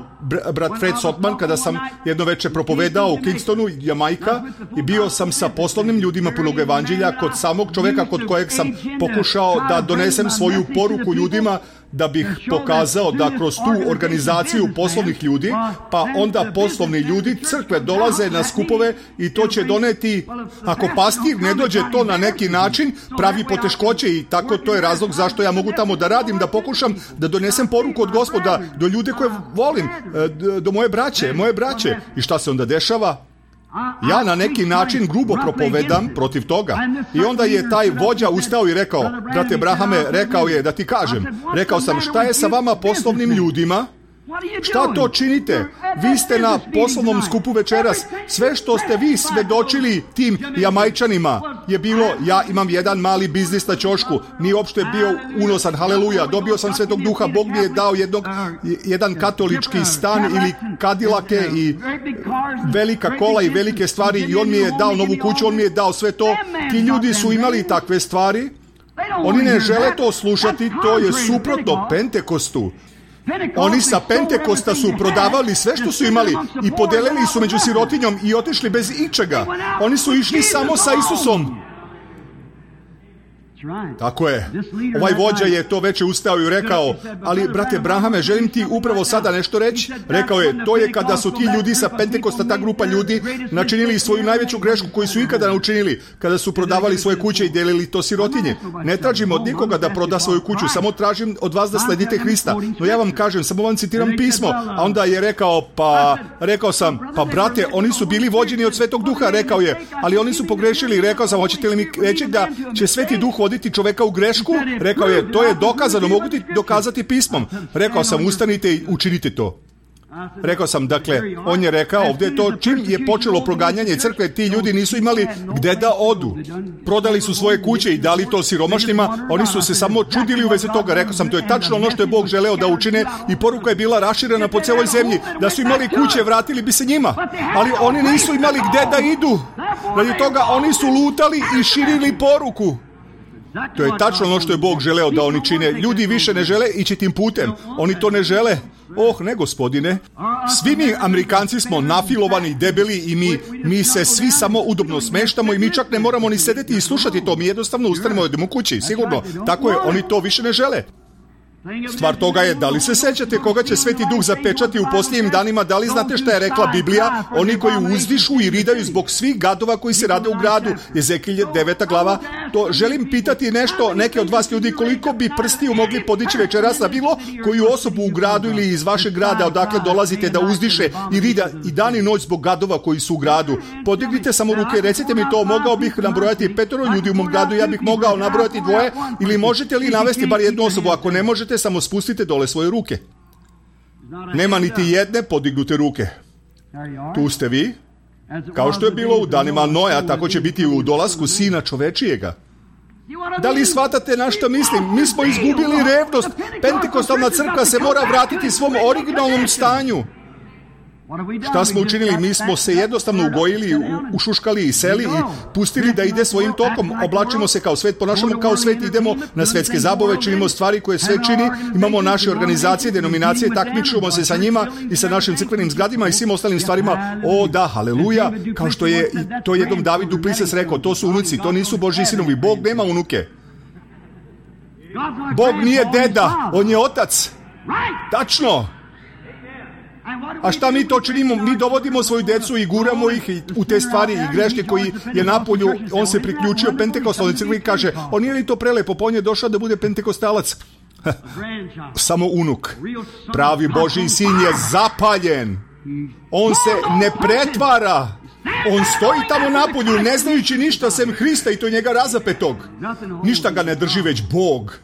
brat Fred Sotman, kada sam jedno veče propovedao u Kingstonu, Jamajka, i bio sam sa poslovnim ljudima punog evanđelja kod samog čoveka kod kojeg sam pokušao da donesem svoju poruku ljudima, da bih pokazao da kroz tu organizaciju poslovnih ljudi, pa onda poslovni ljudi crkve dolaze na skupove i to će doneti, ako pastir ne dođe to na neki način, pravi poteškoće i tako to je razlog zašto ja mogu tamo da radim, da pokušam da donesem poruku od Gospoda do ljude koje volim, do moje braće, moje braće. I šta se onda dešava? Ja na neki način grubo propovedam protiv toga. I onda je taj vođa ustao i rekao, brate Brahame, rekao je da ti kažem, rekao sam, šta je sa vama poslovnim ljudima? Šta to činite? Vi ste na poslovnom skupu večeras. Sve što ste vi svedočili tim Jamajčanima je bilo, ja imam jedan mali biznis na ćošku, nije uopšte bio unosan, haleluja, dobio sam Svetog Duha, Bog mi je dao jednog, jedan katolički stan ili kadilake i velika kola i velike stvari i on mi je dao novu kuću, on mi je dao sve to. Ti ljudi su imali takve stvari, oni ne žele to slušati, to je suprotno Pentekostu. Oni sa Pentekosta su prodavali sve što su imali i podelili su među sirotinjom i otišli bez ičega. Oni su išli samo sa Isusom. Tako je. Ovaj vođa je to veče ustao i rekao, ali brate Brahame, želim ti upravo sada nešto reći. Rekao je, to je kada su ti ljudi sa Pentekosta, ta grupa ljudi, načinili svoju najveću grešku koju su ikada naučinili, kada su prodavali svoje kuće i delili to sirotinje. Ne tražim od nikoga da proda svoju kuću, samo tražim od vas da sledite Hrista. No ja vam kažem, samo vam citiram pismo. A onda je rekao, pa, rekao sam, pa brate, oni su bili vođeni od Svetog Duha, rekao je, ali oni su pogrešili. Rekao sam, hoćete li mi reći da će Sveti Duh voditi čoveka u grešku? Rekao je, to je dokazano, mogu ti dokazati pismom. Rekao sam, ustanite i učinite to. Rekao sam, dakle, on je rekao ovdje to, čim je počelo proganjanje crkve, ti ljudi nisu imali gde da odu. Prodali su svoje kuće i dali to siromašnima, oni su se samo čudili u vezi toga. Rekao sam, to je tačno ono što je Bog želeo da učine i poruka je bila raširena po celoj zemlji. Da su imali kuće, vratili bi se njima. Ali oni nisu imali gde da idu. Radi toga oni su lutali i širili poruku. To je tačno ono što je Bog želeo da oni čine. Ljudi više ne žele ići tim putem. Oni to ne žele. Oh, ne, gospodine. Svi mi Amerikanci smo nafilovani, debeli i mi, mi se svi samo udobno smeštamo i mi čak ne moramo ni sedeti i slušati to. Mi jednostavno ustanemo i idemo kući. Sigurno. Tako je, oni to više ne žele. Stvar toga je, da li se sećate koga će Sveti Duh zapečati u posljednjim danima? Da li znate šta je rekla Biblija? Oni koji uzdišu i ridaju zbog svih gadova koji se rade u gradu. Ezekilj deveta glava. To želim pitati nešto, neke od vas ljudi, koliko bi prstiju mogli podići večeras na bilo koju osobu u gradu ili iz vašeg grada odakle dolazite da uzdiše i rida i dan i noć zbog gadova koji su u gradu. Podignite samo ruke, recite mi to, mogao bih nabrojati petoro ljudi u mom gradu, ja bih mogao nabrojati dvoje, ili možete li navesti bar jednu osobu? Ako ne možete, samo spustite dole svoje ruke. Nema niti jedne podignute ruke. Tu ste vi. Kao što je bilo u danima Noja, tako će biti u dolasku Sina čovečijega. Da li shvatate na što mislim? Mi smo izgubili revnost. Pentekostalna crkva se mora vratiti svom originalnom stanju. Šta smo učinili? Mi smo se jednostavno ugojili, ušuškali i seli i pustili da ide svojim tokom. Oblačimo se kao svet, ponašamo kao svet, idemo na svetske zabave, činimo stvari koje svet čini, imamo naše organizacije, denominacije, takmičimo se sa njima i sa našim crkvenim zgradima i svim ostalim stvarima. O da, haleluja, kao što je to jednom David Duplessis rekao, to su unuci, to nisu Božji sinovi. Bog nema unuke. Bog nije deda, on je otac. Tačno. A šta mi to činimo? Mi dovodimo svoju decu i guramo ih u te stvari i greške koji je napolju. On se priključio Pentekostalnoj crkvi i kaže, on nije li to prelepo, pa on je došao da bude pentekostalac. Samo unuk. Pravi Božji sin je zapaljen. On se ne pretvara. On stoji tamo napolju ne znajući ništa sem Hrista i to njega razapetog. Ništa ga ne drži već Bog.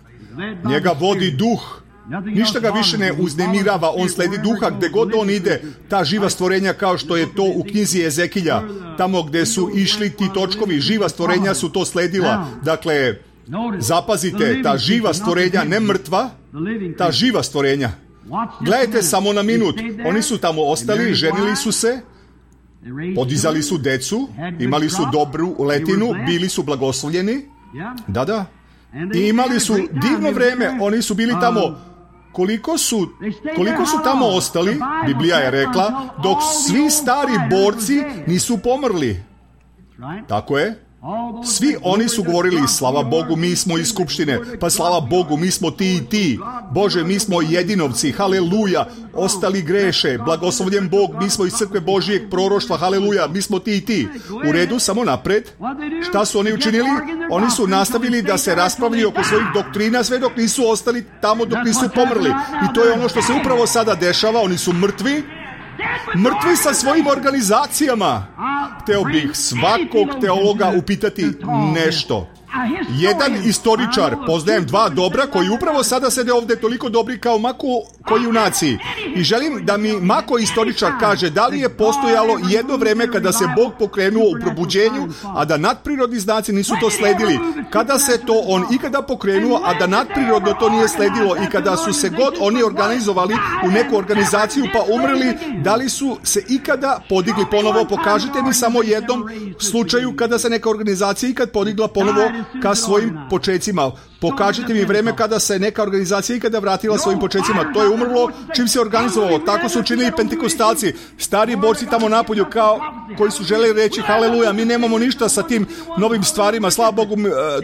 Njega vodi duh. Ništa ga više ne uznemirava, on sledi duha gde god on ide, ta živa stvorenja kao što je to u knjizi Ezekilja, tamo gde su išli ti točkovi, živa stvorenja su to sledila. Dakle, Zapazite, ta živa stvorenja, ne mrtva, ta živa stvorenja. Gledajte samo na minut. Oni su tamo ostali, ženili su se, podizali su decu, imali su dobru letinu, bili su blagoslovljeni. Da, da. I imali su divno vreme. Oni su bili tamo. Koliko su, koliko su tamo ostali, Biblija je rekla, dok svi stari borci nisu pomrli. Tako je. Svi oni su govorili, slava Bogu, mi smo iz skupštine, pa slava Bogu, mi smo ti i ti. Bože, mi smo jedinovci, haleluja, ostali greše, blagoslovljen Bog, mi smo iz crkve Božijeg proroštva, haleluja, mi smo ti i ti. U redu, samo napred. Šta su oni učinili? Oni su nastavili da se raspravljaju oko svojih doktrina sve dok nisu ostali tamo, dok nisu pomrli. I to je ono što se upravo sada dešava, oni su mrtvi. Mrtvi sa svojim organizacijama. Hteo bih svakog teologa upitati nešto. Jedan istoričar, poznajem dva dobra koji upravo sada sede ovdje toliko dobri kao Mako koji u naciji. I želim da mi Mako istoričar kaže da li je postojalo jedno vreme kada se Bog pokrenuo u probuđenju, a da nadprirodni znaci nisu to sledili. Kada se to on ikada pokrenuo, a da nadprirodno to nije sledilo i kada su se god oni organizovali u neku organizaciju pa umrli, da li su se ikada podigli ponovo? Pokažite mi samo jednom slučaju kada se neka organizacija ikad podigla ponovo ka svojim počecima. Pokažite mi vreme kada se neka organizacija ikada vratila svojim počecima. To je umrlo čim se organizovalo. Tako su učinili pentekostalci, stari borci tamo napolju kao koji su želeli reći haleluja, mi nemamo ništa sa tim novim stvarima, slava Bogu,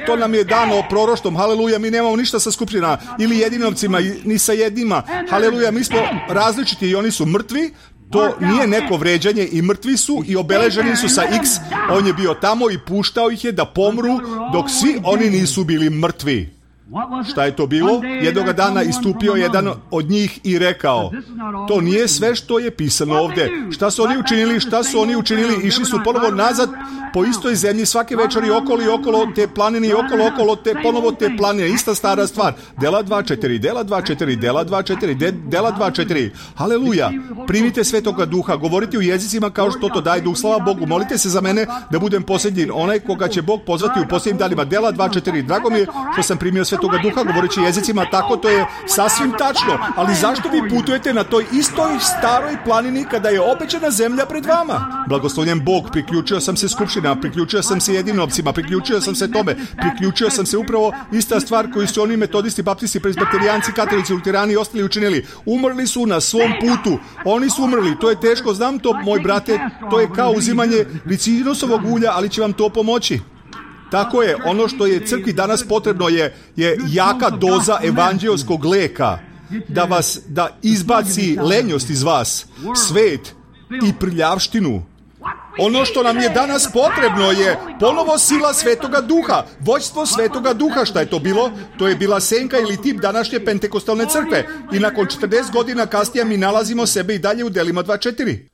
to nam je dano proroštvom, haleluja, mi nemamo ništa sa skupština ili jedinovcima, ni sa jednima, haleluja, mi smo različiti i oni su mrtvi. To nije neko vređanje i mrtvi su i obeleženi su sa X. On je bio tamo i puštao ih je da pomru dok svi oni nisu bili mrtvi. Šta je to bilo? Jednoga dana istupio jedan od njih i rekao, to nije sve što je pisano ovdje. Šta su oni učinili? Šta su oni učinili? Išli su ponovo nazad po istoj zemlji svake večeri okolo i okolo te planine i okolo okolo te ponovo te planine. Ista stara stvar. Dela dva četiri, dela dva četiri, dela dva četiri, de, dela dva četiri. Haleluja. Primite Svetoga Duha. Govorite u jezicima kao što to daje Duh. Slava Bogu. Molite se za mene da budem posljednji. Onaj koga će Bog pozvati u posljednjim danima. Dela dva četiri. Drago mi je što sam primio Svetoga Duha govoreći jezicima, tako to je sasvim tačno. Ali zašto vi putujete na toj istoj staroj planini kada je obećana zemlja pred vama? Blagoslovljen Bog, priključio sam se skupština, priključio sam se jedinovcima, priključio sam se tome, priključio sam se upravo ista stvar koju su oni metodisti, baptisti, presbiterijanci, katolici, luterani i ostali učinili. Umrli su na svom putu. Oni su umrli. To je teško, znam to, moj brate, to je kao uzimanje ricinusovog ulja, ali će vam to pomoći. Tako je, ono što je crkvi danas potrebno je, je jaka doza evanđelskog leka, da vas, da izbaci lenjost iz vas, svet i prljavštinu. Ono što nam je danas potrebno je ponovo sila Svetoga Duha, vođstvo Svetoga Duha. Šta je to bilo? To je bila senka ili tip današnje pentekostalne crkve. I nakon četrdeset godina kasnije mi nalazimo sebe i dalje u delima dva četiri.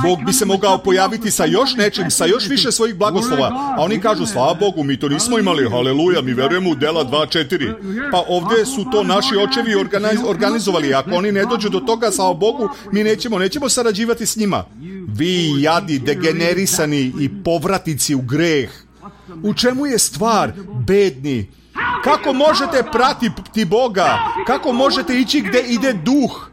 Bog bi se mogao pojaviti sa još nečim, sa još više svojih blagoslova. A oni kažu, slava Bogu, mi to nismo imali, haleluja, mi verujemo u dela dva četiri. Pa ovdje su to naši očevi organiz, organizovali. Ako oni ne dođu do toga, slava Bogu, mi nećemo, nećemo sarađivati s njima. Vi jadi, degenerisani i povratnici u greh. U čemu je stvar, bedni? Kako možete pratiti Boga? Kako možete ići gdje ide duh?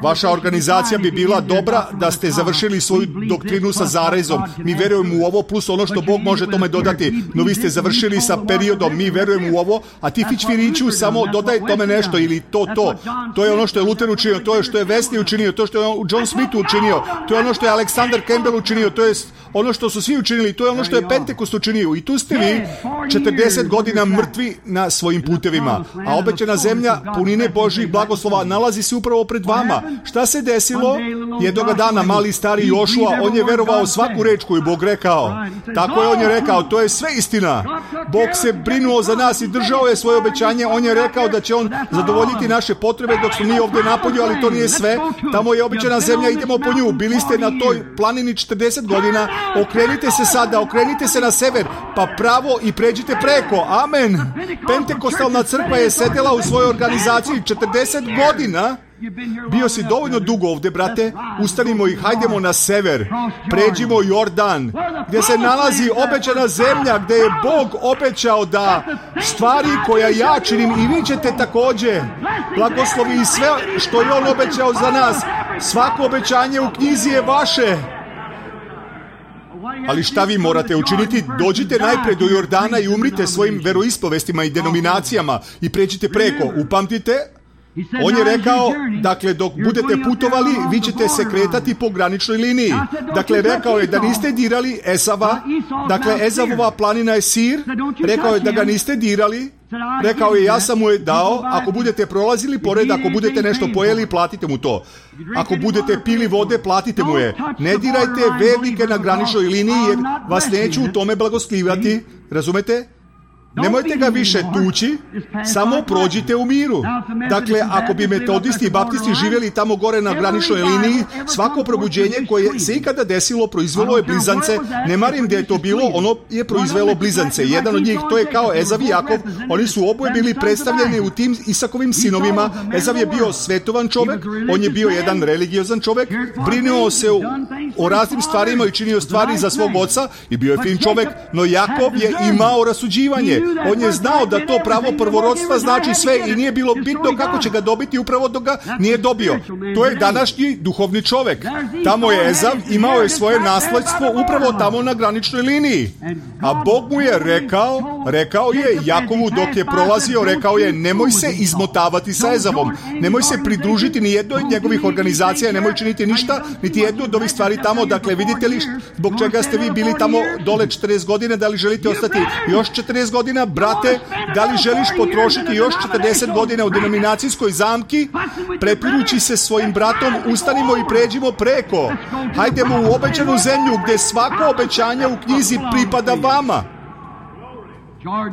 Vaša organizacija bi bila dobra da ste završili svoju doktrinu sa zarezom. Mi verujemo u ovo plus ono što Bog može tome dodati. No vi ste završili sa periodom, mi verujemo u ovo, a ti Fićfiriću samo dodaj tome nešto ili to, to. To je ono što je Luther učinio, to je što je Wesley učinio, to što je John Smith učinio, to je ono što je Alexander Campbell učinio, to je ono što su svi učinili, to je ono što je Pentekost učinio. I tu ste vi četrdeset godina mrtvi na svojim putevima, a obećana zemlja punine Božjih blagoslova nalazi se upravo pred vama. Šta se desilo? Jednoga dana mali stari Jošua, on je verovao svaku reč koju Bog rekao. Tako je, on je rekao, to je sve istina. Bog se brinuo za nas i držao je svoje obećanje. On je rekao da će on zadovoljiti naše potrebe dok smo mi ovdje napolju, ali to nije sve. Tamo je obećana zemlja, idemo po nju. Bili ste na toj planini četrdeset godina. Okrenite se sada, okrenite se na sever, pa pravo i pređite preko. Amen. Pentekostalna crkva je sedela u svojoj organizaciji četrdeset godina. Bio si dovoljno dugo ovdje, brate, ustanimo i hajdemo na sever, pređimo Jordan, gdje se nalazi obećana zemlja, gdje je Bog obećao da stvari koja ja činim i vi ćete također, blagoslovi i sve što je on obećao za nas. Svako obećanje u knjizi je vaše. Ali šta vi morate učiniti? Dođite najprej do Jordana i umrite svojim veroispovestima i denominacijama i pređite preko. Upamtite, on je rekao, dakle, dok budete putovali, vi ćete se kretati po graničnoj liniji. Dakle, rekao je da niste dirali Esava, dakle, Ezavova planina je Sir, rekao je da ga niste dirali, rekao je, ja sam mu je dao, ako budete prolazili pored, ako budete nešto pojeli, platite mu to. Ako budete pili vode, platite mu je. Ne dirajte vernike na graničnoj liniji, jer vas neću u tome blagoslivati, razumete? Nemojte ga više tući, samo prođite u miru. Dakle, ako bi metodisti i baptisti živjeli tamo gore na graničnoj liniji, svako probuđenje koje se ikada desilo proizvelo je blizance. Ne marim gdje je to bilo, ono je proizvelo blizance. Jedan od njih, to je kao Ezav i Jakov, oni su oboje bili predstavljeni u tim Isakovim sinovima. Ezav je bio svetovan čovjek, on je bio jedan religiozan čovjek, brinuo se o, o raznim stvarima i činio stvari za svog oca i bio je fin čovjek, no Jakov je imao rasuđivanje. On je znao da to pravo prvorodstva znači sve i nije bilo bitno kako će ga dobiti upravo dok ga nije dobio. To je današnji duhovni čovjek. Tamo je Ezav, imao je svoje nasledstvo upravo tamo na graničnoj liniji. A Bog mu je rekao, rekao je Jakovu dok je prolazio, rekao je nemoj se izmotavati sa Ezavom, nemoj se pridružiti ni jednoj od njegovih organizacija, nemoj činiti ništa, niti jednu od ovih stvari tamo. Dakle, vidite li zbog čega ste vi bili tamo dole četrdeset godina, da li želite ostati još četrdeset godina? Brate, da li želiš potrošiti još četrdeset godina u denominacijskoj zamki? Prepirući se svojim bratom, ustanimo i pređimo preko. Hajdemo u obećanu zemlju gdje svako obećanje u knjizi pripada vama.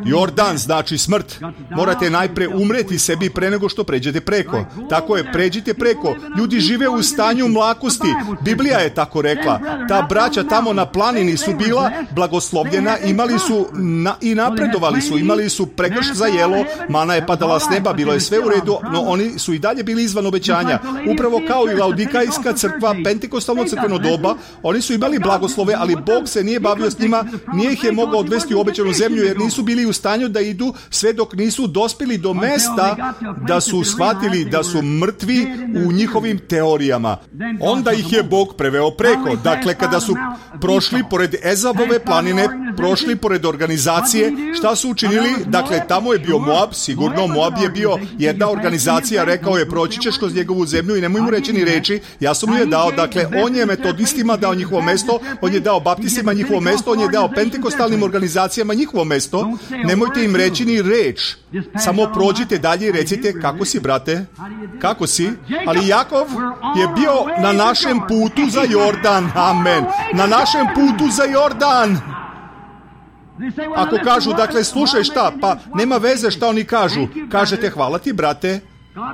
Jordan znači smrt. Morate najpre umreti sebi pre nego što pređete preko. Tako je, pređite preko. Ljudi žive u stanju mlakosti. Biblija je tako rekla. Ta braća tamo na planini su bila blagoslovljena, imali su na, i napredovali su, imali su pregrš za jelo, mana je padala s neba, bilo je sve u redu, no oni su i dalje bili izvan obećanja. Upravo kao i Laodikajska crkva, pentekostalno crkveno doba, oni su imali blagoslove, ali Bog se nije bavio s njima, nije ih je mogao odvesti u obećanu zemlju, jer nisu bili u stanju da idu sve dok nisu dospjeli do mesta da su shvatili da su mrtvi u njihovim teorijama. Onda ih je Bog preveo preko. Dakle, kada su prošli pored Ezavove planine, prošli pored organizacije, šta su učinili? Dakle, tamo je bio Moab, sigurno Moab je bio jedna organizacija, rekao je proći ćeš kroz njegovu zemlju i nemoj mu reći ni reči, ja sam mu je dao. Dakle, on je metodistima dao njihovo mesto, on je dao baptistima njihovo mesto, on je dao pentekostalnim organizacijama njihovo mesto. Nemojte im reći ni reč, samo prođite dalje i recite kako si, brate, kako si. Ali Jakov je bio na našem putu za Jordan, amen, na našem putu za Jordan. Ako kažu, dakle, slušaj šta, pa nema veze šta oni kažu, kažete hvala ti, brate,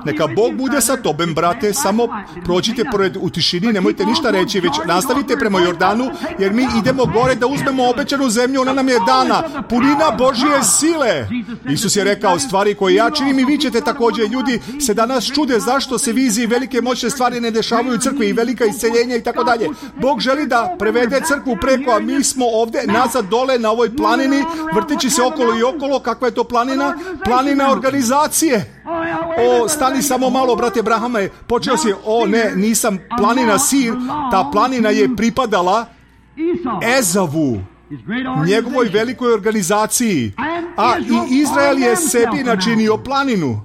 neka Bog bude sa tobem, brate, samo prođite pored u tišini, nemojte ništa reći, već nastavite prema Jordanu, jer mi idemo gore da uzmemo obećanu zemlju, ona nam je dana, punina Božje sile. Isus je rekao, stvari koje ja činim i vi ćete također. Ljudi se danas čude zašto se vizije i velike moćne stvari ne dešavaju u crkvi i velika isceljenja i tako dalje. Bog želi da prevede crkvu preko, a mi smo ovdje nazad dole na ovoj planini, vrteći se okolo i okolo. Kakva je to planina? Planina organizacije. O, stani samo malo, brate Brahame, počeo si, o ne, nisam, planina Sir, ta planina je pripadala Ezavu, njegovoj velikoj organizaciji, a i Izrael je sebi načinio planinu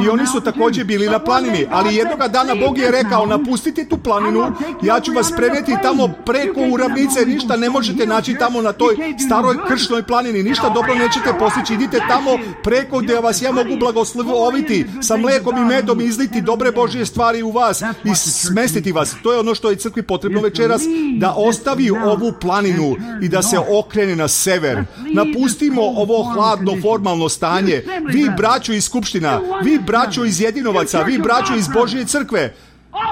i oni su također bili na planini, ali jednoga dana Bog je rekao, napustite tu planinu, ja ću vas preneti tamo preko u ravnice, ništa ne možete naći tamo na toj staroj kršnoj planini, ništa dobro nećete postići, idite tamo preko gdje vas ja mogu blagosloviti, sa mlekom i medom izliti dobre Božje stvari u vas i smestiti vas. To je ono što je crkvi potrebno večeras, da ostavi ovu planinu i da se okrene na sever. Napustimo ovo hladno formalno stanje. Vi braćo iz skupština, vi braćo iz jedinovaca, vi braćo iz Božje crkve,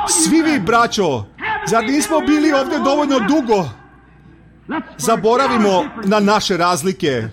svi vi braćo, zar nismo bili ovdje dovoljno dugo? Zaboravimo na naše razlike.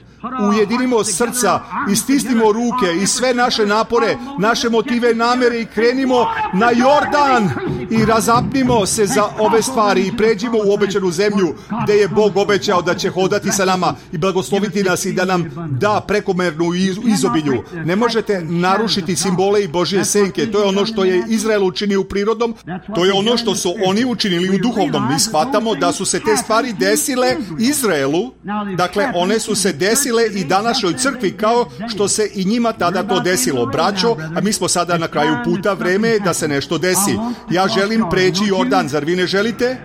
ujedinimo srca i stisnimo ruke i sve naše napore, naše motive, namere i krenimo na Jordan i razapnimo se za ove stvari i pređimo u obećanu zemlju gde je Bog obećao da će hodati sa nama i blagosloviti nas i da nam da prekomernu izobilju. Ne možete narušiti simbole i Božje senke. To je ono što je Izrael učinio u prirodnom, to je ono što su oni učinili u duhovnom. Mi shvatamo da su se te stvari desile Izraelu, dakle one su se desile i današnjoj crkvi kao što se i njima tada to desilo. Braćo, a mi smo sada na kraju puta, vreme je da se nešto desi. Ja želim preći Jordan, zar vi ne želite?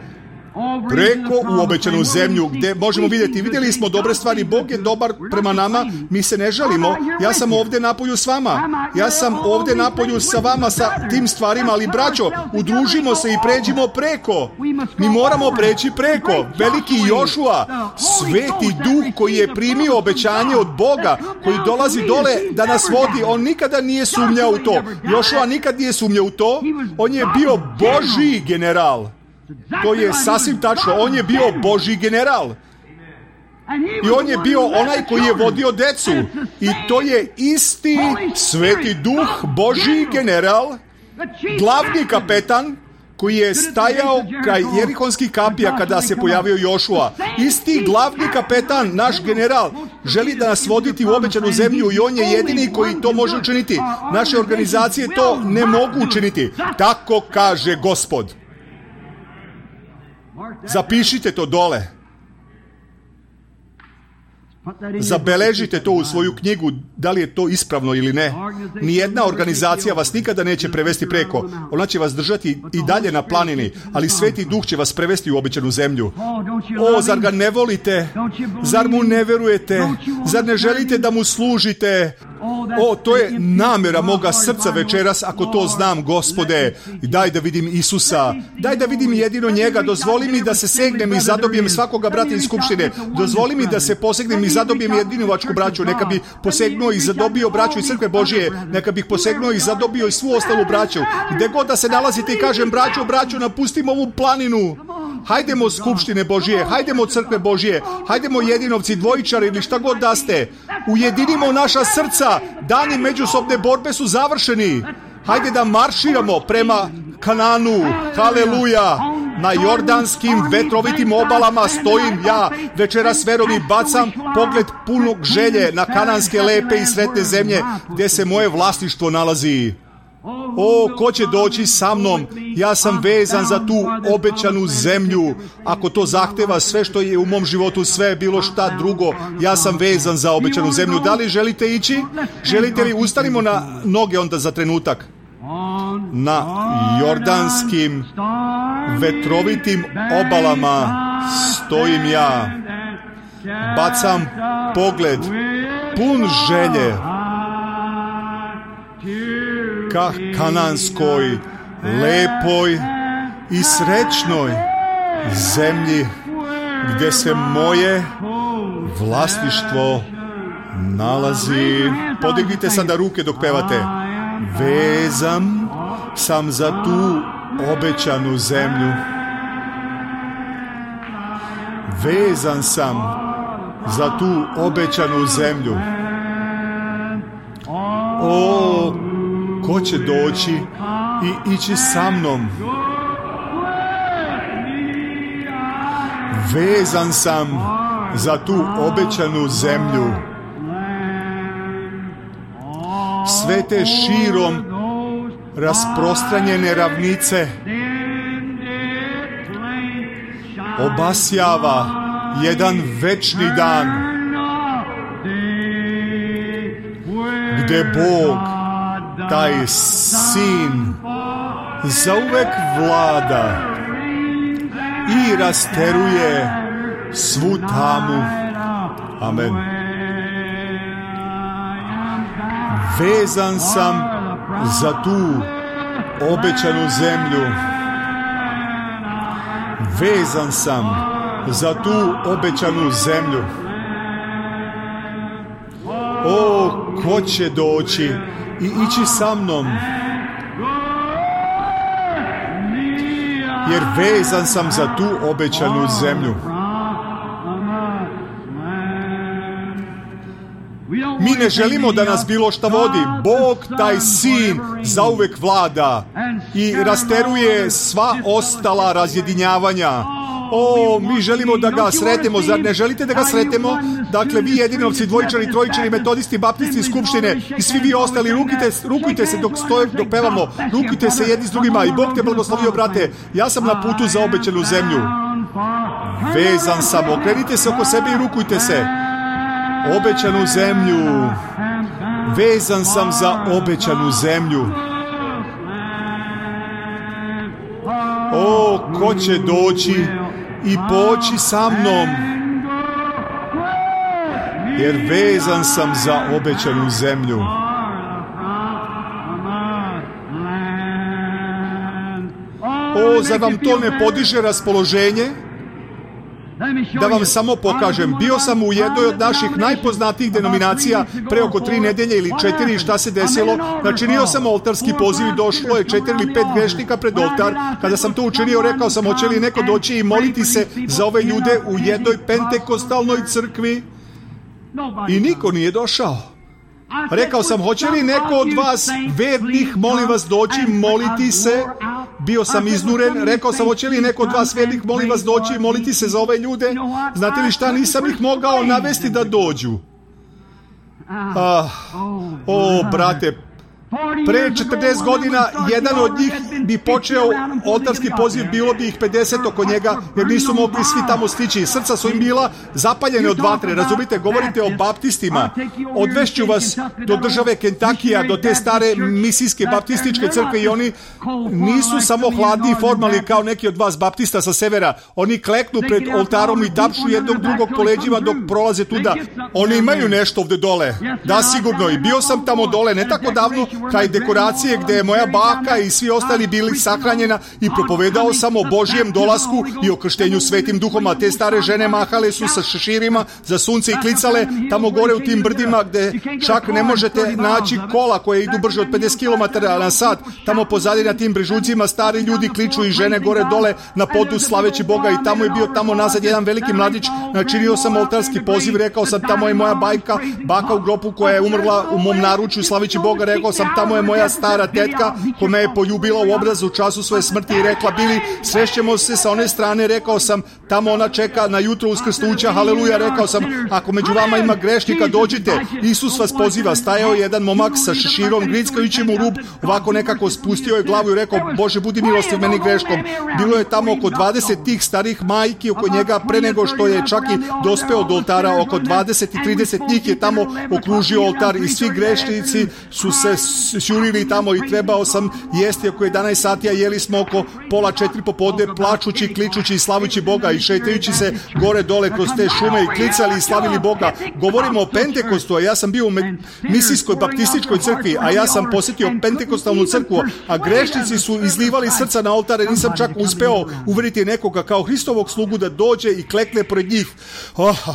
Preko u obećanu zemlju gdje možemo vidjeti, vidjeli smo dobre stvari, Bog je dobar prema nama, mi se ne žalimo. Ja sam ovdje napolju s vama, ja sam ovdje napolju sa vama sa tim stvarima, ali braćo, udružimo se i pređimo preko. Mi moramo preći preko. Veliki Jošua, sveti duh koji je primio obećanje od Boga, koji dolazi dole da nas vodi, on nikada nije sumnjao u to. Jošua nikad nije sumnjao u to, on je bio Božji general. To je sasvim tačno, on je bio Božji general. I on je bio onaj koji je vodio decu. I to je isti sveti duh, Božji general, glavni kapetan, koji je stajao kraj Jerihonskih kapija kada se pojavio Jošua. Isti glavni kapetan, naš general, želi da nas voditi u obećanu zemlju i on je jedini koji to može učiniti. Naše organizacije to ne mogu učiniti. Tako kaže Gospod. Zapišite to dole. Zabeležite to u svoju knjigu, da li je to ispravno ili ne. Nijedna organizacija vas nikada neće prevesti preko. Ona će vas držati i dalje na planini, ali Sveti Duh će vas prevesti u obećanu zemlju. O, zar ga ne volite? Zar mu ne verujete? Zar ne želite da mu služite? O, to je namera moga srca večeras, ako to znam, Gospode. Daj da vidim Isusa. Daj da vidim jedino njega. Dozvoli mi da se segnem i zadobijem svakoga brata iz skupštine. Dozvoli mi da se posegnem i zadobijem jedinovačku braću. Neka bi posegnuo i zadobio braću iz crkve Božije. Neka bih posegnuo i zadobio i svu ostalu braću. Gde god da se nalazite i kažem, braćo, braćo, napustimo ovu planinu. Hajdemo skupštine Božije, hajdemo crkve Božije, hajdemo jedinovci, dvojičari ili šta god da ste. Ujedinimo naša srca, dani međusobne borbe su završeni. Hajde da marširamo prema Kananu, haleluja. Na jordanskim vetrovitim obalama stojim ja, večeras verom i bacam pogled punog želje na kananske lepe i sretne zemlje gdje se moje vlasništvo nalazi. O, ko će doći sa mnom? Ja sam vezan za tu obećanu zemlju. Ako to zahteva sve što je u mom životu, sve bilo šta drugo, ja sam vezan za obećanu zemlju. Da li želite ići? Želite li? Ustanimo na noge onda za trenutak. Na jordanskim vetrovitim obalama stojim ja. Bacam pogled pun želje ka kananskoj, lepoj i srećnoj zemlji gdje se moje vlasništvo nalazi. Podignite sada ruke dok pevate. Vezan sam za tu obećanu zemlju. Vezan sam za tu obećanu zemlju. O, ko će doći i ići sa mnom? Vezan sam za tu obećanu zemlju. Sve te širom rasprostranjene ravnice obasjava jedan večni dan gdje Bog, taj Sin, zauvek vlada i rasteruje svu tamu. Amen. Vezan sam za tu obećanu zemlju. Vezan sam za tu obećanu zemlju. O, ko će doći i ići sa mnom? Jer vezan sam za tu obećanu zemlju. Mi ne želimo da nas bilo šta vodi. Bog, taj sin, zauvek vlada i rasteruje sva ostala razjedinjavanja. O, mi želimo da ga sretemo, zar ne želite da ga sretemo? Dakle, vi jedinovci, dvojičari, trojičari, metodisti, baptisti, skupštine i svi vi ostali, rukite, rukujte se dok stoje, dok pevamo, rukujte se jedni s drugima i Bog te blagoslovio, brate. Ja sam na putu za obećanu zemlju. Vezan sam, okrenite se oko sebe i rukujte se. Obećanu zemlju. Vezan sam za obećanu zemlju. O, ko će doći i poći sa mnom, jer vezan sam za obećanu zemlju. O, zar vam to ne podiže raspoloženje? Da vam samo pokažem, bio sam u jednoj od naših najpoznatijih denominacija pre oko tri nedelje ili četiri. Šta se desilo? Načinio sam oltarski poziv i došlo je četiri ili pet grešnika pred oltar. Kada sam to učinio, rekao sam, hoće li neko doći i moliti se za ove ljude u jednoj pentekostalnoj crkvi? I niko nije došao. Rekao sam, hoće li neko od vas vernih, molim vas, doći moliti se? Bio sam iznuren, rekao sam, hoće li neko od vas vernih, molim vas, doći i moliti se za ove ljude? Znate li šta, nisam ih mogao navesti da dođu. Ah, o, brate, pre četrdeset godina jedan od njih bi počeo oltarski poziv, bilo bi ih pedeset oko njega, jer nisu mogli svi tamo stići. Srca su im bila zapaljene od vatre, razumite, govorite o baptistima. Odvešću vas do države Kentakija, do te stare misijske baptističke crkve i oni nisu samo hladni i formalni kao neki od vas baptista sa severa. Oni kleknu pred oltarom i tapšu jednog drugog po leđima dok prolaze tuda. Oni imaju nešto ovde dole. Da, sigurno. I bio sam tamo dole, ne tako davno, kraj dekoracije gde je moja baka i svi ostali bili sahranjena i propovedao sam o Božijem dolasku i o krštenju Svetim Duhom, a te stare žene mahale su sa šeširima za sunce i klicale tamo gore u tim brdima gde čak ne možete naći kola koje idu brže od pedeset kilometara na sat. Tamo pozadi na tim brežucima stari ljudi kliču i žene gore dole na podu slaveći Boga i tamo je bio tamo nazad jedan veliki mladić. Načinio sam oltarski poziv, rekao sam, tamo je moja bajka, baka u gropu koja je umrla u mom naručju slaveći Boga, rekao sam, tamo je moja stara tetka koja me je poljubila u obrazu u času svoje smrti i rekla, Bili, srećemo se sa one strane, rekao sam, tamo ona čeka na jutro uskrsnuća, haleluja, rekao sam, ako među vama ima grešnika, dođite, Isus vas poziva. Stajao je jedan momak sa šeširom, grickajući mu rub, ovako nekako spustio je glavu i rekao, Bože, budi milostiv meni greškom. Bilo je tamo oko dvadeset tih starih majki oko njega pre nego što je čak i dospeo do oltara, oko dvadeset i trideset njih je tamo okružio oltar i svi grešnici su se sjurili tamo i trebao sam jesti oko jedanaest sati, a jeli smo oko pola četiri popodne, plačući, kličući i slavujući Boga i šetajući se gore dole kroz te šume i klicali i slavili Boga. Govorimo o Pentekostu, a ja sam bio u misijskoj baptističkoj crkvi, a ja sam posjetio Pentekostalnu crkvu, a grešnici su izlivali srca na oltare, nisam čak uspeo uveriti nekoga kao Hristovog slugu da dođe i klekne pred njih. Oh.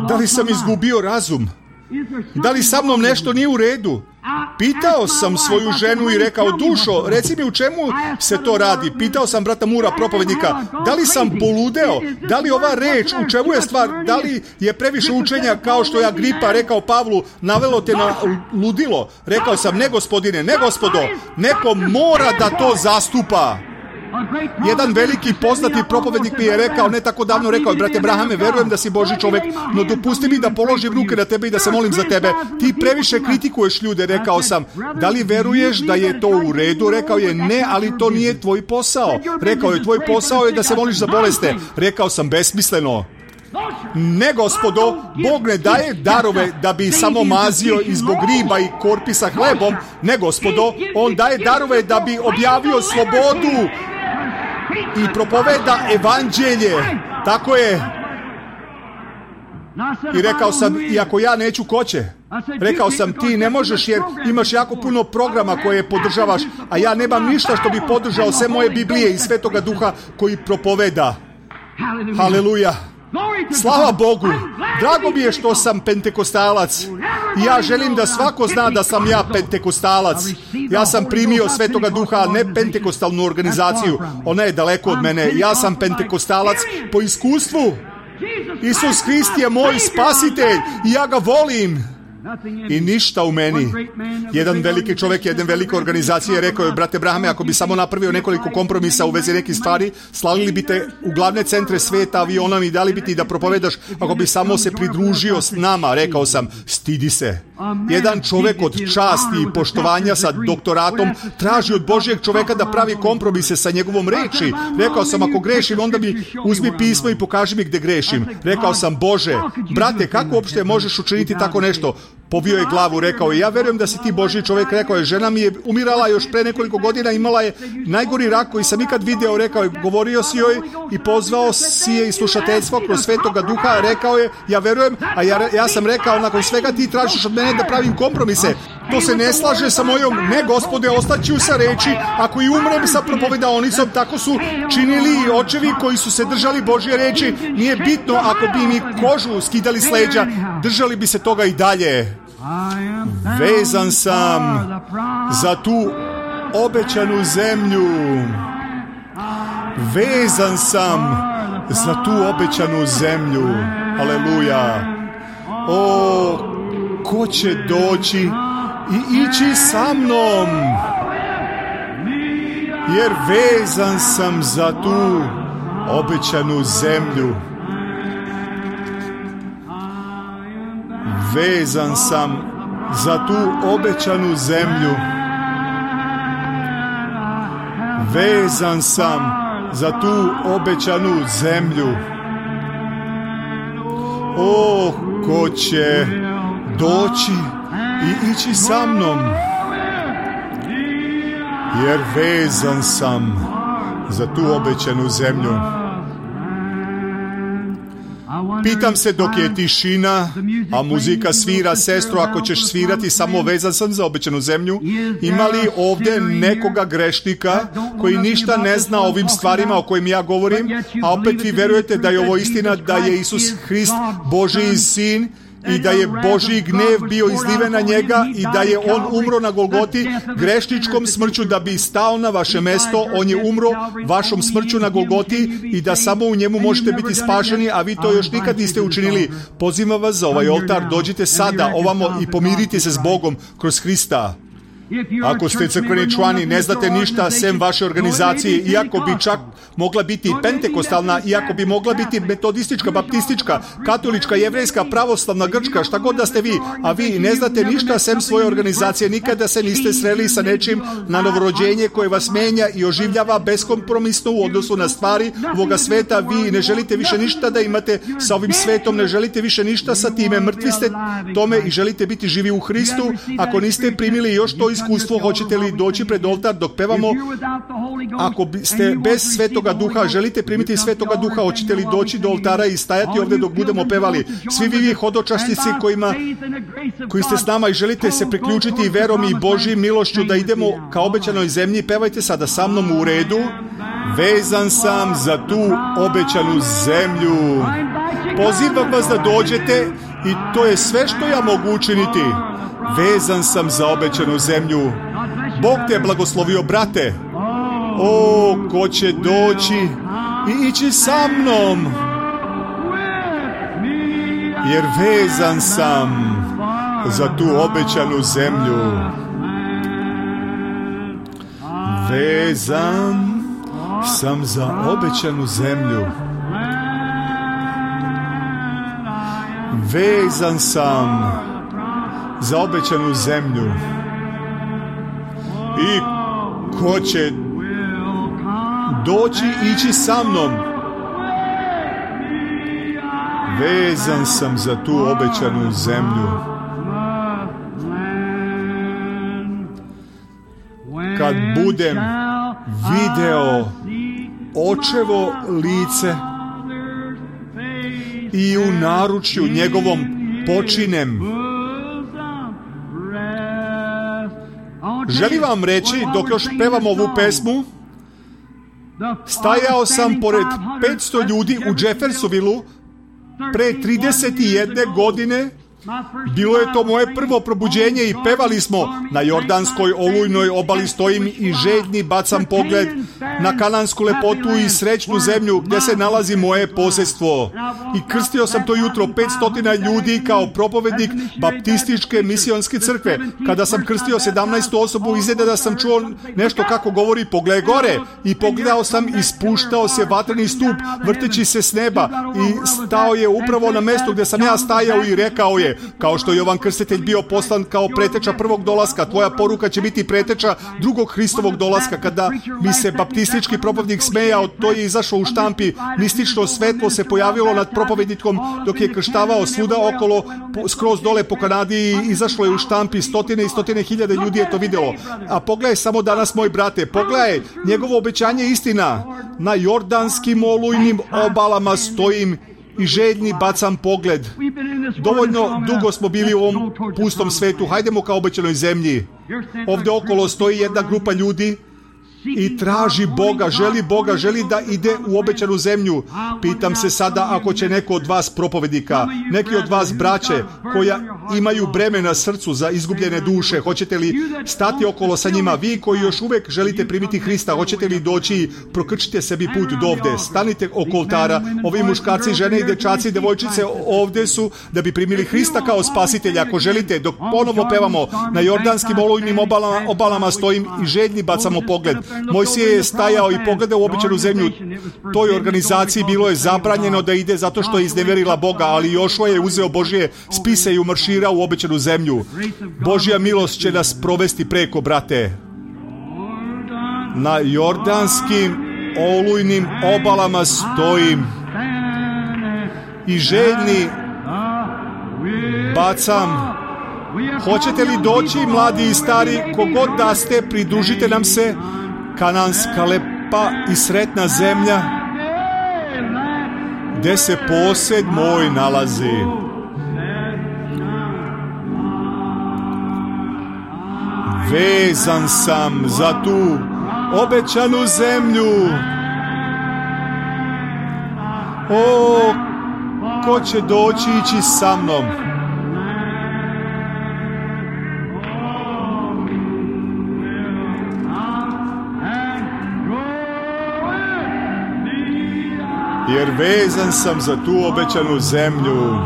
Da li sam izgubio razum? Da li sa mnom nešto nije u redu? Pitao sam svoju ženu i rekao, dušo, reci mi u čemu se to radi. Pitao sam brata Mura, propovednika, da li sam poludeo? Da li ova reč, u čemu je stvar? Da li je previše učenja kao što je Agripa rekao Pavlu, navelo te na ludilo? Rekao sam, ne gospodine, ne gospodo, neko mora da to zastupa. Jedan veliki poznati propovednik mi je rekao, ne tako davno rekao, brate Brahame, verujem da si Božji čovek, no dopusti mi da položim ruke na tebe i da se molim za tebe. Ti previše kritikuješ ljude, rekao sam. Da li veruješ da je to u redu? Rekao je, ne, ali to nije tvoj posao. Rekao je, tvoj posao je da se moliš za boleste. Rekao sam, besmisleno. Ne, gospodo, Bog ne daje darove da bi samo mazio i zbog riba i korpi sa hlebom. Ne, gospodo, on daje darove da bi objavio slobodu i propoveda evanđelje. Tako je. I rekao sam, iako ja neću, ko će? Rekao sam, ti ne možeš jer imaš jako puno programa koje podržavaš, a ja nemam ništa što bi podržao sve moje Biblije i Svetoga Duha koji propoveda. Haleluja. Slava Bogu. Drago mi je što sam pentekostalac. I ja želim da svako zna da sam ja pentekostalac. Ja sam primio Svetoga Duha, a ne pentekostalnu organizaciju. Ona je daleko od mene. Ja sam pentekostalac po iskustvu. Isus Hrist je moj spasitelj i ja ga volim. I ništa u meni. Jedan veliki čovjek, jedna velika organizacija je rekao, brate Brahame, ako bi samo napravio nekoliko kompromisa u vezi nekih stvari, slali bi te u glavne centre sveta avionom i dali bi ti da propovedaš, ako bi samo se pridružio s nama. Rekao sam, stidi se. Jedan čovjek od časti i poštovanja sa doktoratom traži od Božjeg čovjeka da pravi kompromise sa njegovom reči. Rekao sam, ako grešim, onda bi uzmi pismo i pokaži mi gdje grešim. Rekao sam, Bože, brate, kako uopšte možeš učiniti tako nešto? Povio je glavu, rekao je, ja verujem da si ti Božji čovjek. Rekao je, žena mi je umirala još pre nekoliko godina, imala je najgori rak koji sam ikad video. Rekao je, govorio si joj i pozvao si je i slušateljstvo kroz Svetoga Duha. Rekao je, ja verujem, a ja, ja sam rekao, nakon svega ti tražiš od mene da pravim kompromise. To se ne slaže sa mojom, ne Gospode, ostaću sa reči, ako i umrem sa propovedaonicom. Tako su činili i očevi koji su se držali Božje reči. Nije bitno ako bi mi kožu skidali s leđa, držali bi se toga i dalje. Vezan sam za tu obećanu zemlju. Vezan sam za tu obećanu zemlju. Aleluja. O, ko će doći i ići sa mnom? Jer vezan sam za tu obećanu zemlju. Vezan sam za tu obećanu zemlju. Vezan sam za tu obećanu zemlju. O, ko će doći i ići sa mnom? Jer vezan sam za tu obećanu zemlju. Pitam se dok je tišina, a muzika svira, sestro, ako ćeš svirati samo vezan sam za obećanu zemlju, ima li ovdje nekoga grešnika koji ništa ne zna o ovim stvarima o kojim ja govorim, a opet vi verujete da je ovo istina, da je Isus Hrist Božji sin i da je Božji gnev bio izliven na njega i da je on umro na Golgoti grešničkom smrću da bi stao na vaše mesto. On je umro vašom smrću na Golgoti i da samo u njemu možete biti spašeni, a vi to još nikad niste učinili. Pozivam vas za ovaj oltar, dođite sada ovamo i pomirite se s Bogom kroz Hrista. Ako ste crkveni člani, ne znate ništa sem vaše organizacije, iako bi čak mogla biti i pentekostalna, iako bi mogla biti metodistička, baptistička, katolička, jevrejska, pravoslavna, grčka, šta god da ste vi, a vi ne znate ništa sem svoje organizacije, nikada se niste sreli sa nečim na novorođenje koje vas menja i oživljava beskompromisno u odnosu na stvari ovoga sveta, vi ne želite više ništa da imate sa ovim svetom, ne želite više ništa sa time, mrtvi ste tome i želite biti živi u Hristu. Ako niste primili još to iskustvo, hoćete li doći pred oltar dok pevamo? Ako ste bez Svetoga Duha, želite primiti Svetoga Duha, hoćete li doći do oltara i stajati ovdje dok budemo pevali? Svi vi hodočasnici kojima, koji ste s nama i želite se priključiti verom i Božjim milošću da idemo ka obećanoj zemlji, pevajte sada sa mnom u redu. Vezan sam za tu obećanu zemlju. Pozivam vas da dođete i to je sve što ja mogu učiniti. Vezan sam za obećanu zemlju. Bog te je blagoslovio, brate. O, ko će doći i ići sa mnom? Jer vezan sam za tu obećanu zemlju. Vezan sam za obećanu zemlju. Vezan sam za obećanu zemlju. I ko će doći i ići sa mnom? Vezan sam za tu obećanu zemlju. Kad budem video očevo lice i u naručju njegovom počinem. Želim vam reći, dok još pevam ovu pesmu, stajao sam pored petsto ljudi u Jeffersonvilleu pre trideset jedne godine Bilo je to moje prvo probuđenje i pevali smo: na jordanskoj olujnoj obali stojim i željni bacam pogled na kanansku lepotu i srećnu zemlju gdje se nalazi moje posjedstvo. I krstio sam to jutro petsto ljudi kao propovednik baptističke misionske crkve. Kada sam krstio sedamnaestu osobu, izgleda da sam čuo nešto kako govori: pogledaj gore. I pogledao sam i spuštao se vatreni stup vrteći se s neba i stao je upravo na mjestu gdje sam ja stajao i rekao je: kao što je Jovan Krstitelj bio poslan kao preteča prvog dolaska, tvoja poruka će biti preteča drugog Hristovog dolaska. Kada mi se baptistički propovednik smejao, to je izašlo u štampi. Mistično svetlo se pojavilo nad propovednikom dok je krštavao svuda okolo, skroz dole po Kanadi, i izašlo je u štampi. Stotine i stotine hiljade ljudi je to vidjelo. A pogledaj samo danas, moj brate, pogledaj, njegovo obećanje je istina. Na jordanskim olujnim obalama stojim i željni bacam pogled. Dovoljno dugo smo bili u ovom pustom svetu. Hajdemo ka obećanoj zemlji. Ovdje okolo stoji jedna grupa ljudi i traži Boga, želi Boga, želi da ide u obećanu zemlju. Pitam se sada, ako će neko od vas propovednika, neki od vas braće koja imaju breme na srcu za izgubljene duše, hoćete li stati okolo sa njima? Vi koji još uvijek želite primiti Hrista, hoćete li doći i prokrčite sebi put do ovdje? Stanite oko oltara. Ovi muškarci, žene i dečaci i devojčice ovdje su da bi primili Hrista kao spasitelja. Ako želite, dok ponovo pevamo, na jordanskim olujnim obalama, obalama stojim i željni bacamo pogled. Mojsije je stajao i pogledao u obećanu zemlju. Toj organizaciji bilo je zabranjeno da ide zato što je izneverila Boga, ali Jošua je uzeo Božje spise i umarširao u obećanu zemlju. Božja milost će nas provesti preko, brate. Na jordanskim olujnim obalama stojim i željni bacam. Hoćete li doći, mladi i stari, kogod da ste, pridružite nam se. Kananska lepa i sretna zemlja gdje se posjed moj nalazi. Vezan sam za tu obećanu zemlju. O, ko će doći ići sa mnom? Jer vezan sam za tu obećanu zemlju.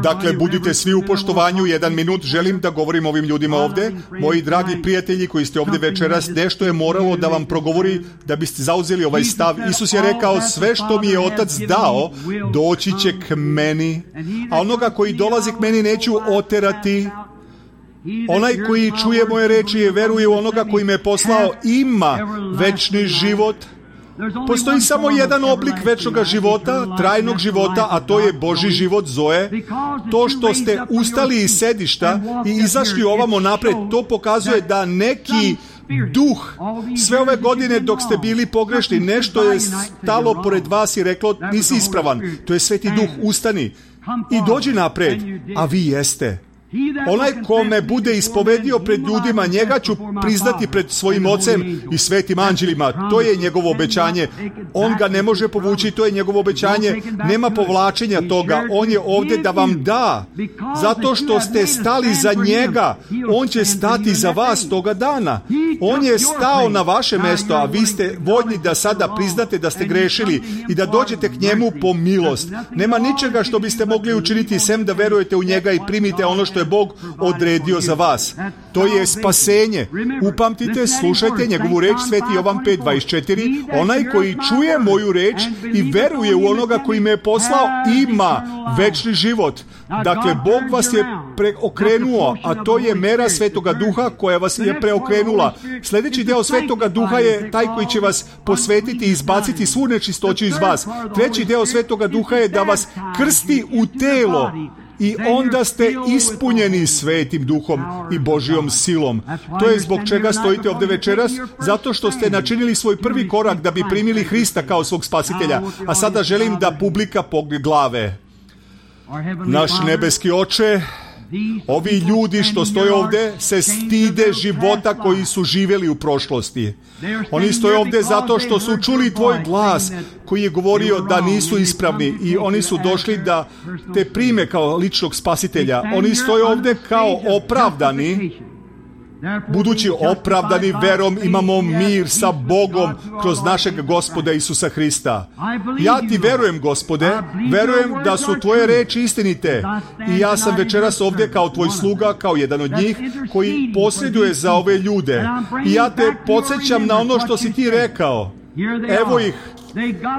Dakle, budite svi u poštovanju. Jedan minut, želim da govorim ovim ljudima ovdje. Moji dragi prijatelji koji ste ovdje večeras, nešto je moralo da vam progovori da biste zauzeli ovaj stav. Isus je rekao: sve što mi je Otac dao, doći će k meni, a onoga koji dolazi k meni neću oterati. Onaj koji čuje moje reči i veruje u onoga koji me poslao ima večni život. Postoji samo jedan oblik večnog života, trajnog života, a to je Božji život, Zoe. To što ste ustali iz sedišta i izašli ovamo napred, to pokazuje da neki duh sve ove godine dok ste bili pogrešni, nešto je stalo pored vas i reklo: nisi ispravan. To je Sveti Duh, ustani i dođi napred, a vi jeste. Onaj ko me bude ispovedio pred ljudima, njega ću priznati pred svojim ocem i svetim anđelima. To je njegovo obećanje. On ga ne može povući, to je njegovo obećanje. Nema povlačenja toga. On je ovdje da vam da. Zato što ste stali za njega, on će stati za vas toga dana. On je stao na vaše mjesto, a vi ste voljni da sada priznate da ste grešili i da dođete k njemu po milost. Nema ničega što biste mogli učiniti sem da verujete u njega i primite ono što je Bog odredio za vas. To je spasenje. Upamtite, slušajte njegovu reč, Sveti Jovan pet dvadeset četiri. Onaj koji čuje moju reč i veruje u onoga koji me je poslao ima večni život. Dakle, Bog vas je preokrenuo, a to je mera Svetoga Duha koja vas je preokrenula. Sljedeći deo Svetoga Duha je taj koji će vas posvetiti i izbaciti svu nečistoću iz vas. Treći deo Svetoga Duha je da vas krsti u telo. I onda ste ispunjeni Svetim Duhom i Božjom silom. To je zbog čega stojite ovdje večeras, zato što ste načinili svoj prvi korak da bi primili Hrista kao svog spasitelja. A sada želim da publika pogne glave. Naš nebeski Oče, Ovi ljudi što stoje ovdje se stide života koji su živjeli u prošlosti. Oni stoje ovdje zato što su čuli tvoj glas koji je govorio da nisu ispravni i oni su došli da te prime kao ličnog spasitelja. Oni stoje ovdje kao opravdani. Budući opravdani verom imamo mir sa Bogom kroz našeg Gospoda Isusa Hrista. Ja ti verujem, Gospode, verujem da su tvoje reči istinite i ja sam večeras ovdje kao tvoj sluga, kao jedan od njih koji posreduje za ove ljude. I ja te podsjećam na ono što si ti rekao. Evo ih.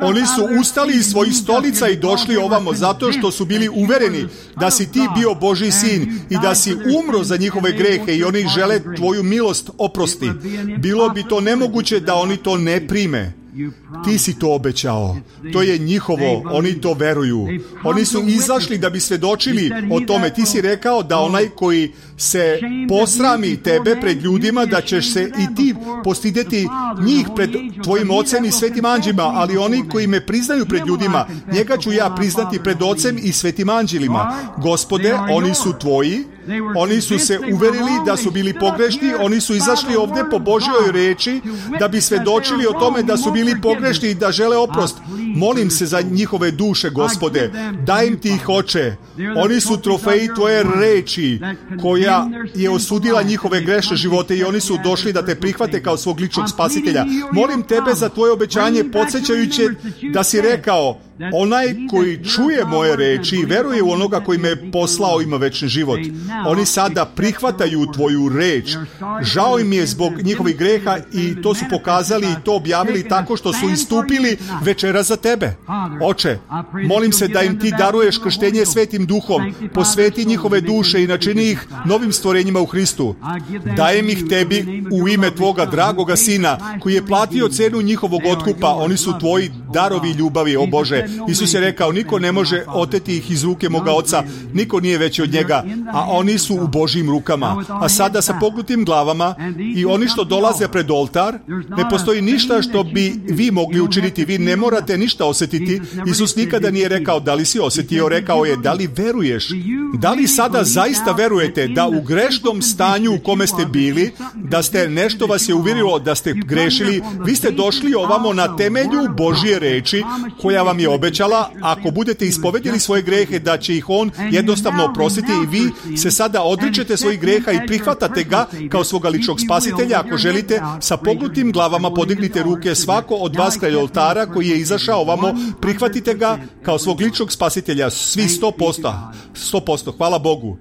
Oni su ustali iz svojih stolica i došli ovamo zato što su bili uvereni da si ti bio Božji sin i da si umro za njihove grehe i oni žele tvoju milost oprosti. Bilo bi to nemoguće da oni to ne prime. Ti si to obećao. To je njihovo. Oni to veruju. Oni su izašli da bi svedočili o tome. Ti si rekao da onaj koji se posrami tebe pred ljudima, da ćeš se i ti postideti njih pred tvojim ocem i svetim anđelima, ali oni koji me priznaju pred ljudima, njega ću ja priznati pred ocem i svetim anđelima. Gospode, oni su tvoji. Oni su se uverili da su bili pogrešni, oni su izašli ovdje po Božjoj reči da bi svedočili o tome da su bili pogrešni i da žele oprost. Molim se za njihove duše, Gospode, daj im ti ih, Oče. Oni su trofeji tvoje reči koja je osudila njihove grešne živote i oni su došli da te prihvate kao svog ličnog spasitelja. Molim tebe za tvoje obećanje, podsjećajući da si rekao, onaj koji čuje moje reči i veruje u onoga koji me je poslao ima večni život. Oni sada prihvataju tvoju reč. Žao im je zbog njihovih greha i to su pokazali i to objavili tako što su istupili večera za tebe. Oče, molim se da im ti daruješ krštenje svetim duhom, posveti njihove duše i načini ih novim stvorenjima u Hristu. Dajem ih tebi u ime tvoga dragoga Sina koji je platio cenu njihovog otkupa. Oni su tvoji darovi ljubavi, o Bože. Isus je rekao, niko ne može oteti ih iz ruke moga Oca, niko nije veći od njega, a oni su u Božjim rukama. A sada sa pognutim glavama i oni što dolaze pred oltar, ne postoji ništa što bi vi mogli učiniti, vi ne morate ništa osjetiti. Isus nikada nije rekao da li si osjetio, rekao je da li veruješ. Da li sada zaista verujete da u grešnom stanju u kome ste bili, da ste nešto vas je uvjerilo da ste grešili, vi ste došli ovamo na temelju Božje reči koja vam je obećala, ako budete ispovedili svoje grehe, da će ih on jednostavno oprostiti i vi se sada odričete svojih greha i prihvatate ga kao svoga ličnog spasitelja. Ako želite, sa pognutim glavama podignite ruke, svako od vas kraj oltara koji je izašao ovamo, prihvatite ga kao svog ličnog spasitelja, svi sto posto. sto posto, hvala Bogu.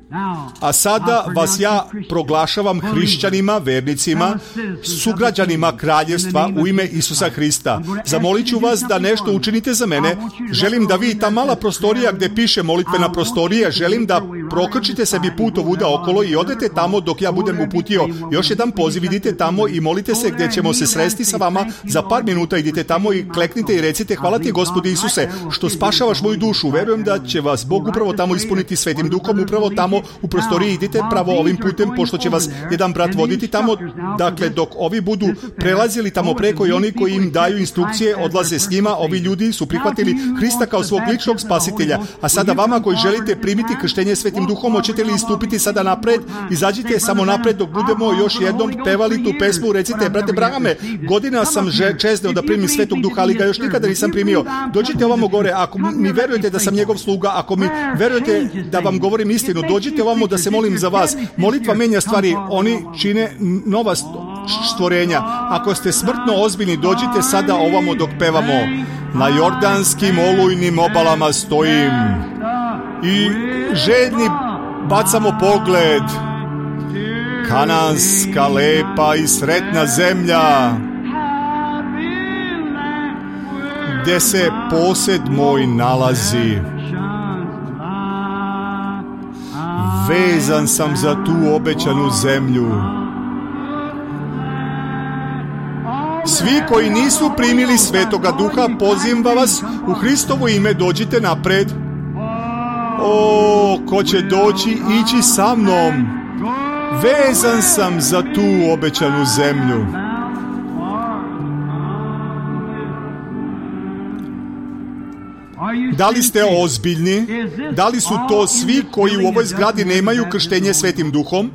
A sada vas ja proglašavam hrišćanima, vernicima, sugrađanima kraljevstva u ime Isusa Hrista. Zamolit ću vas da nešto učinite za mene. Želim da vi ta mala prostorija gdje piše molitvena prostorija, želim da prokrčite sebi put ovuda okolo i odete tamo dok ja budem uputio. Još jedan poziv, idite tamo i molite se gdje ćemo se sresti sa vama za par minuta. Idite tamo i kleknite i recite, hvala ti Gospodi Isuse što spašavaš moju dušu. Verujem da će vas Bog upravo tamo ispuniti svetim duhom, upravo tamo u prostoriji. Idite pravo ovim putem, pošto će vas jedan brat voditi tamo. Dakle, dok ovi budu prelazili tamo preko i oni koji im daju instrukcije odlaze s njima, ovi ljudi su prihvatili Hrista kao svog ličnog spasitelja. A sada vama koji želite primiti krštenje svetim duhom, hoćete li istupiti sada napred? Izađite samo napred dok budemo još jednom pevali tu pesmu. Recite, brate Brahame, godina sam čezneo da primim svetog duha, ali ga još nikada nisam primio. Dođite ovamo gore, ako mi verujete da sam njegov sluga, ako mi verujete da vam govorim istinu, dođite ovamo da se molim za vas. Molitva menja stvari, oni čine nova stvorenja. Ako ste smrtno ozbiljni, dođite sada ovamo dok pevamo. Na jordanskim olujnim obalama stojim i žedni bacamo pogled. Kananska lepa i sretna zemlja, gdje se posed moj nalazi. Vezan sam za tu obećanu zemlju. Svi koji nisu primili Svetoga Duha, pozivam vas u Hristovo ime, dođite napred. O, ko će doći, ići sa mnom. Vezan sam za tu obećanu zemlju. Da li ste ozbiljni? Da li su to svi koji u ovoj zgradi nemaju krštenje Svetim Duhom?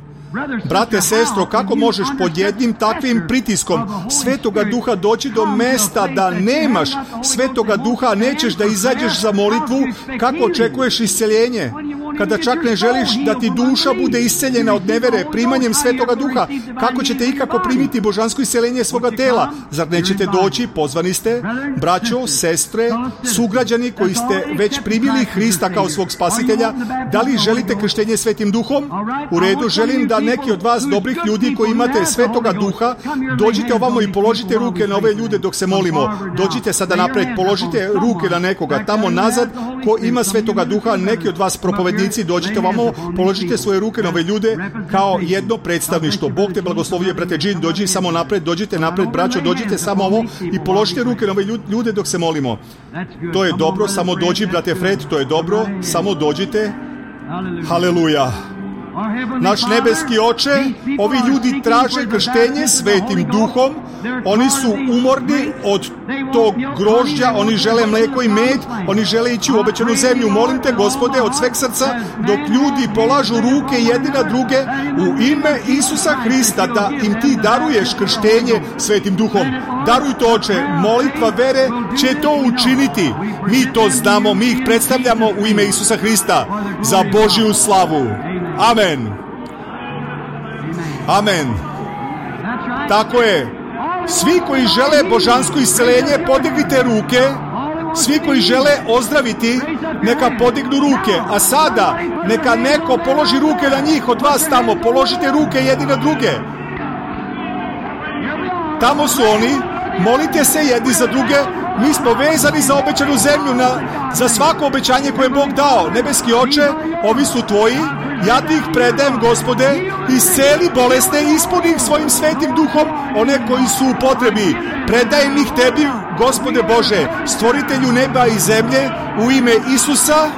Brate, sestro, kako možeš pod jednim takvim pritiskom Svetoga Duha doći do mesta da nemaš Svetoga Duha, a nećeš da izađeš za molitvu? Kako očekuješ isceljenje? Kada čak ne želiš da ti duša bude isceljena od nevere primanjem Svetoga Duha, kako ćete ikako primiti božansko isceljenje svoga tela? Zar nećete doći? Pozvani ste, braćo, sestre, sugrađani koji ste već primili Hrista kao svog spasitelja. Da li želite krštenje Svetim Duhom? U redu, želim da neki od vas dobrih ljudi koji imate Svetoga Duha, dođite ovamo i položite ruke na ove ljude dok se molimo. Dođite sada napred, položite ruke na nekoga tamo nazad ko ima Svetoga Duha. Neki od vas propovednici, dođite ovamo, položite svoje ruke na ove ljude kao jedno predstavništvo. Bog te blagoslovio, brate Džin, dođi samo napred, dođite napred, braćo, dođite samo ovo i položite ruke na ove ljude dok se molimo. To je dobro, samo dođi, brate Fred, to je dobro, samo dođite. Haleluja. Naš nebeski Oče, ovi ljudi traže krštenje Svetim Duhom, oni su umorni od tog grožđa, oni žele mlijeko i med, oni žele ići u obećanu zemlju. Molim te, Gospode, od sveg srca, dok ljudi polažu ruke jedni na druge, u ime Isusa Hrista, da im ti daruješ krštenje Svetim Duhom. Daruj to, Oče, molitva vere će to učiniti. Mi to znamo, mi ih predstavljamo u ime Isusa Hrista za Božju slavu. Amen. Amen. Tako je. Svi koji žele božansko isceljenje, podignite ruke. Svi koji žele ozdraviti, neka podignu ruke. A sada, neka neko položi ruke na njih od vas tamo. Položite ruke jedni na druge. Tamo su oni. Molite se jedni za druge. Mi smo vezani za obećanu zemlju, na, za svako obećanje koje je Bog dao. Nebeski Oče, ovi su tvoji. Ja ti ih predajem, Gospode, isceli bolesne, ispuni ih svojim Svetim Duhom, one koji su u potrebi. Predajem ih tebi, Gospode Bože, stvoritelju neba i zemlje, u ime Isusa.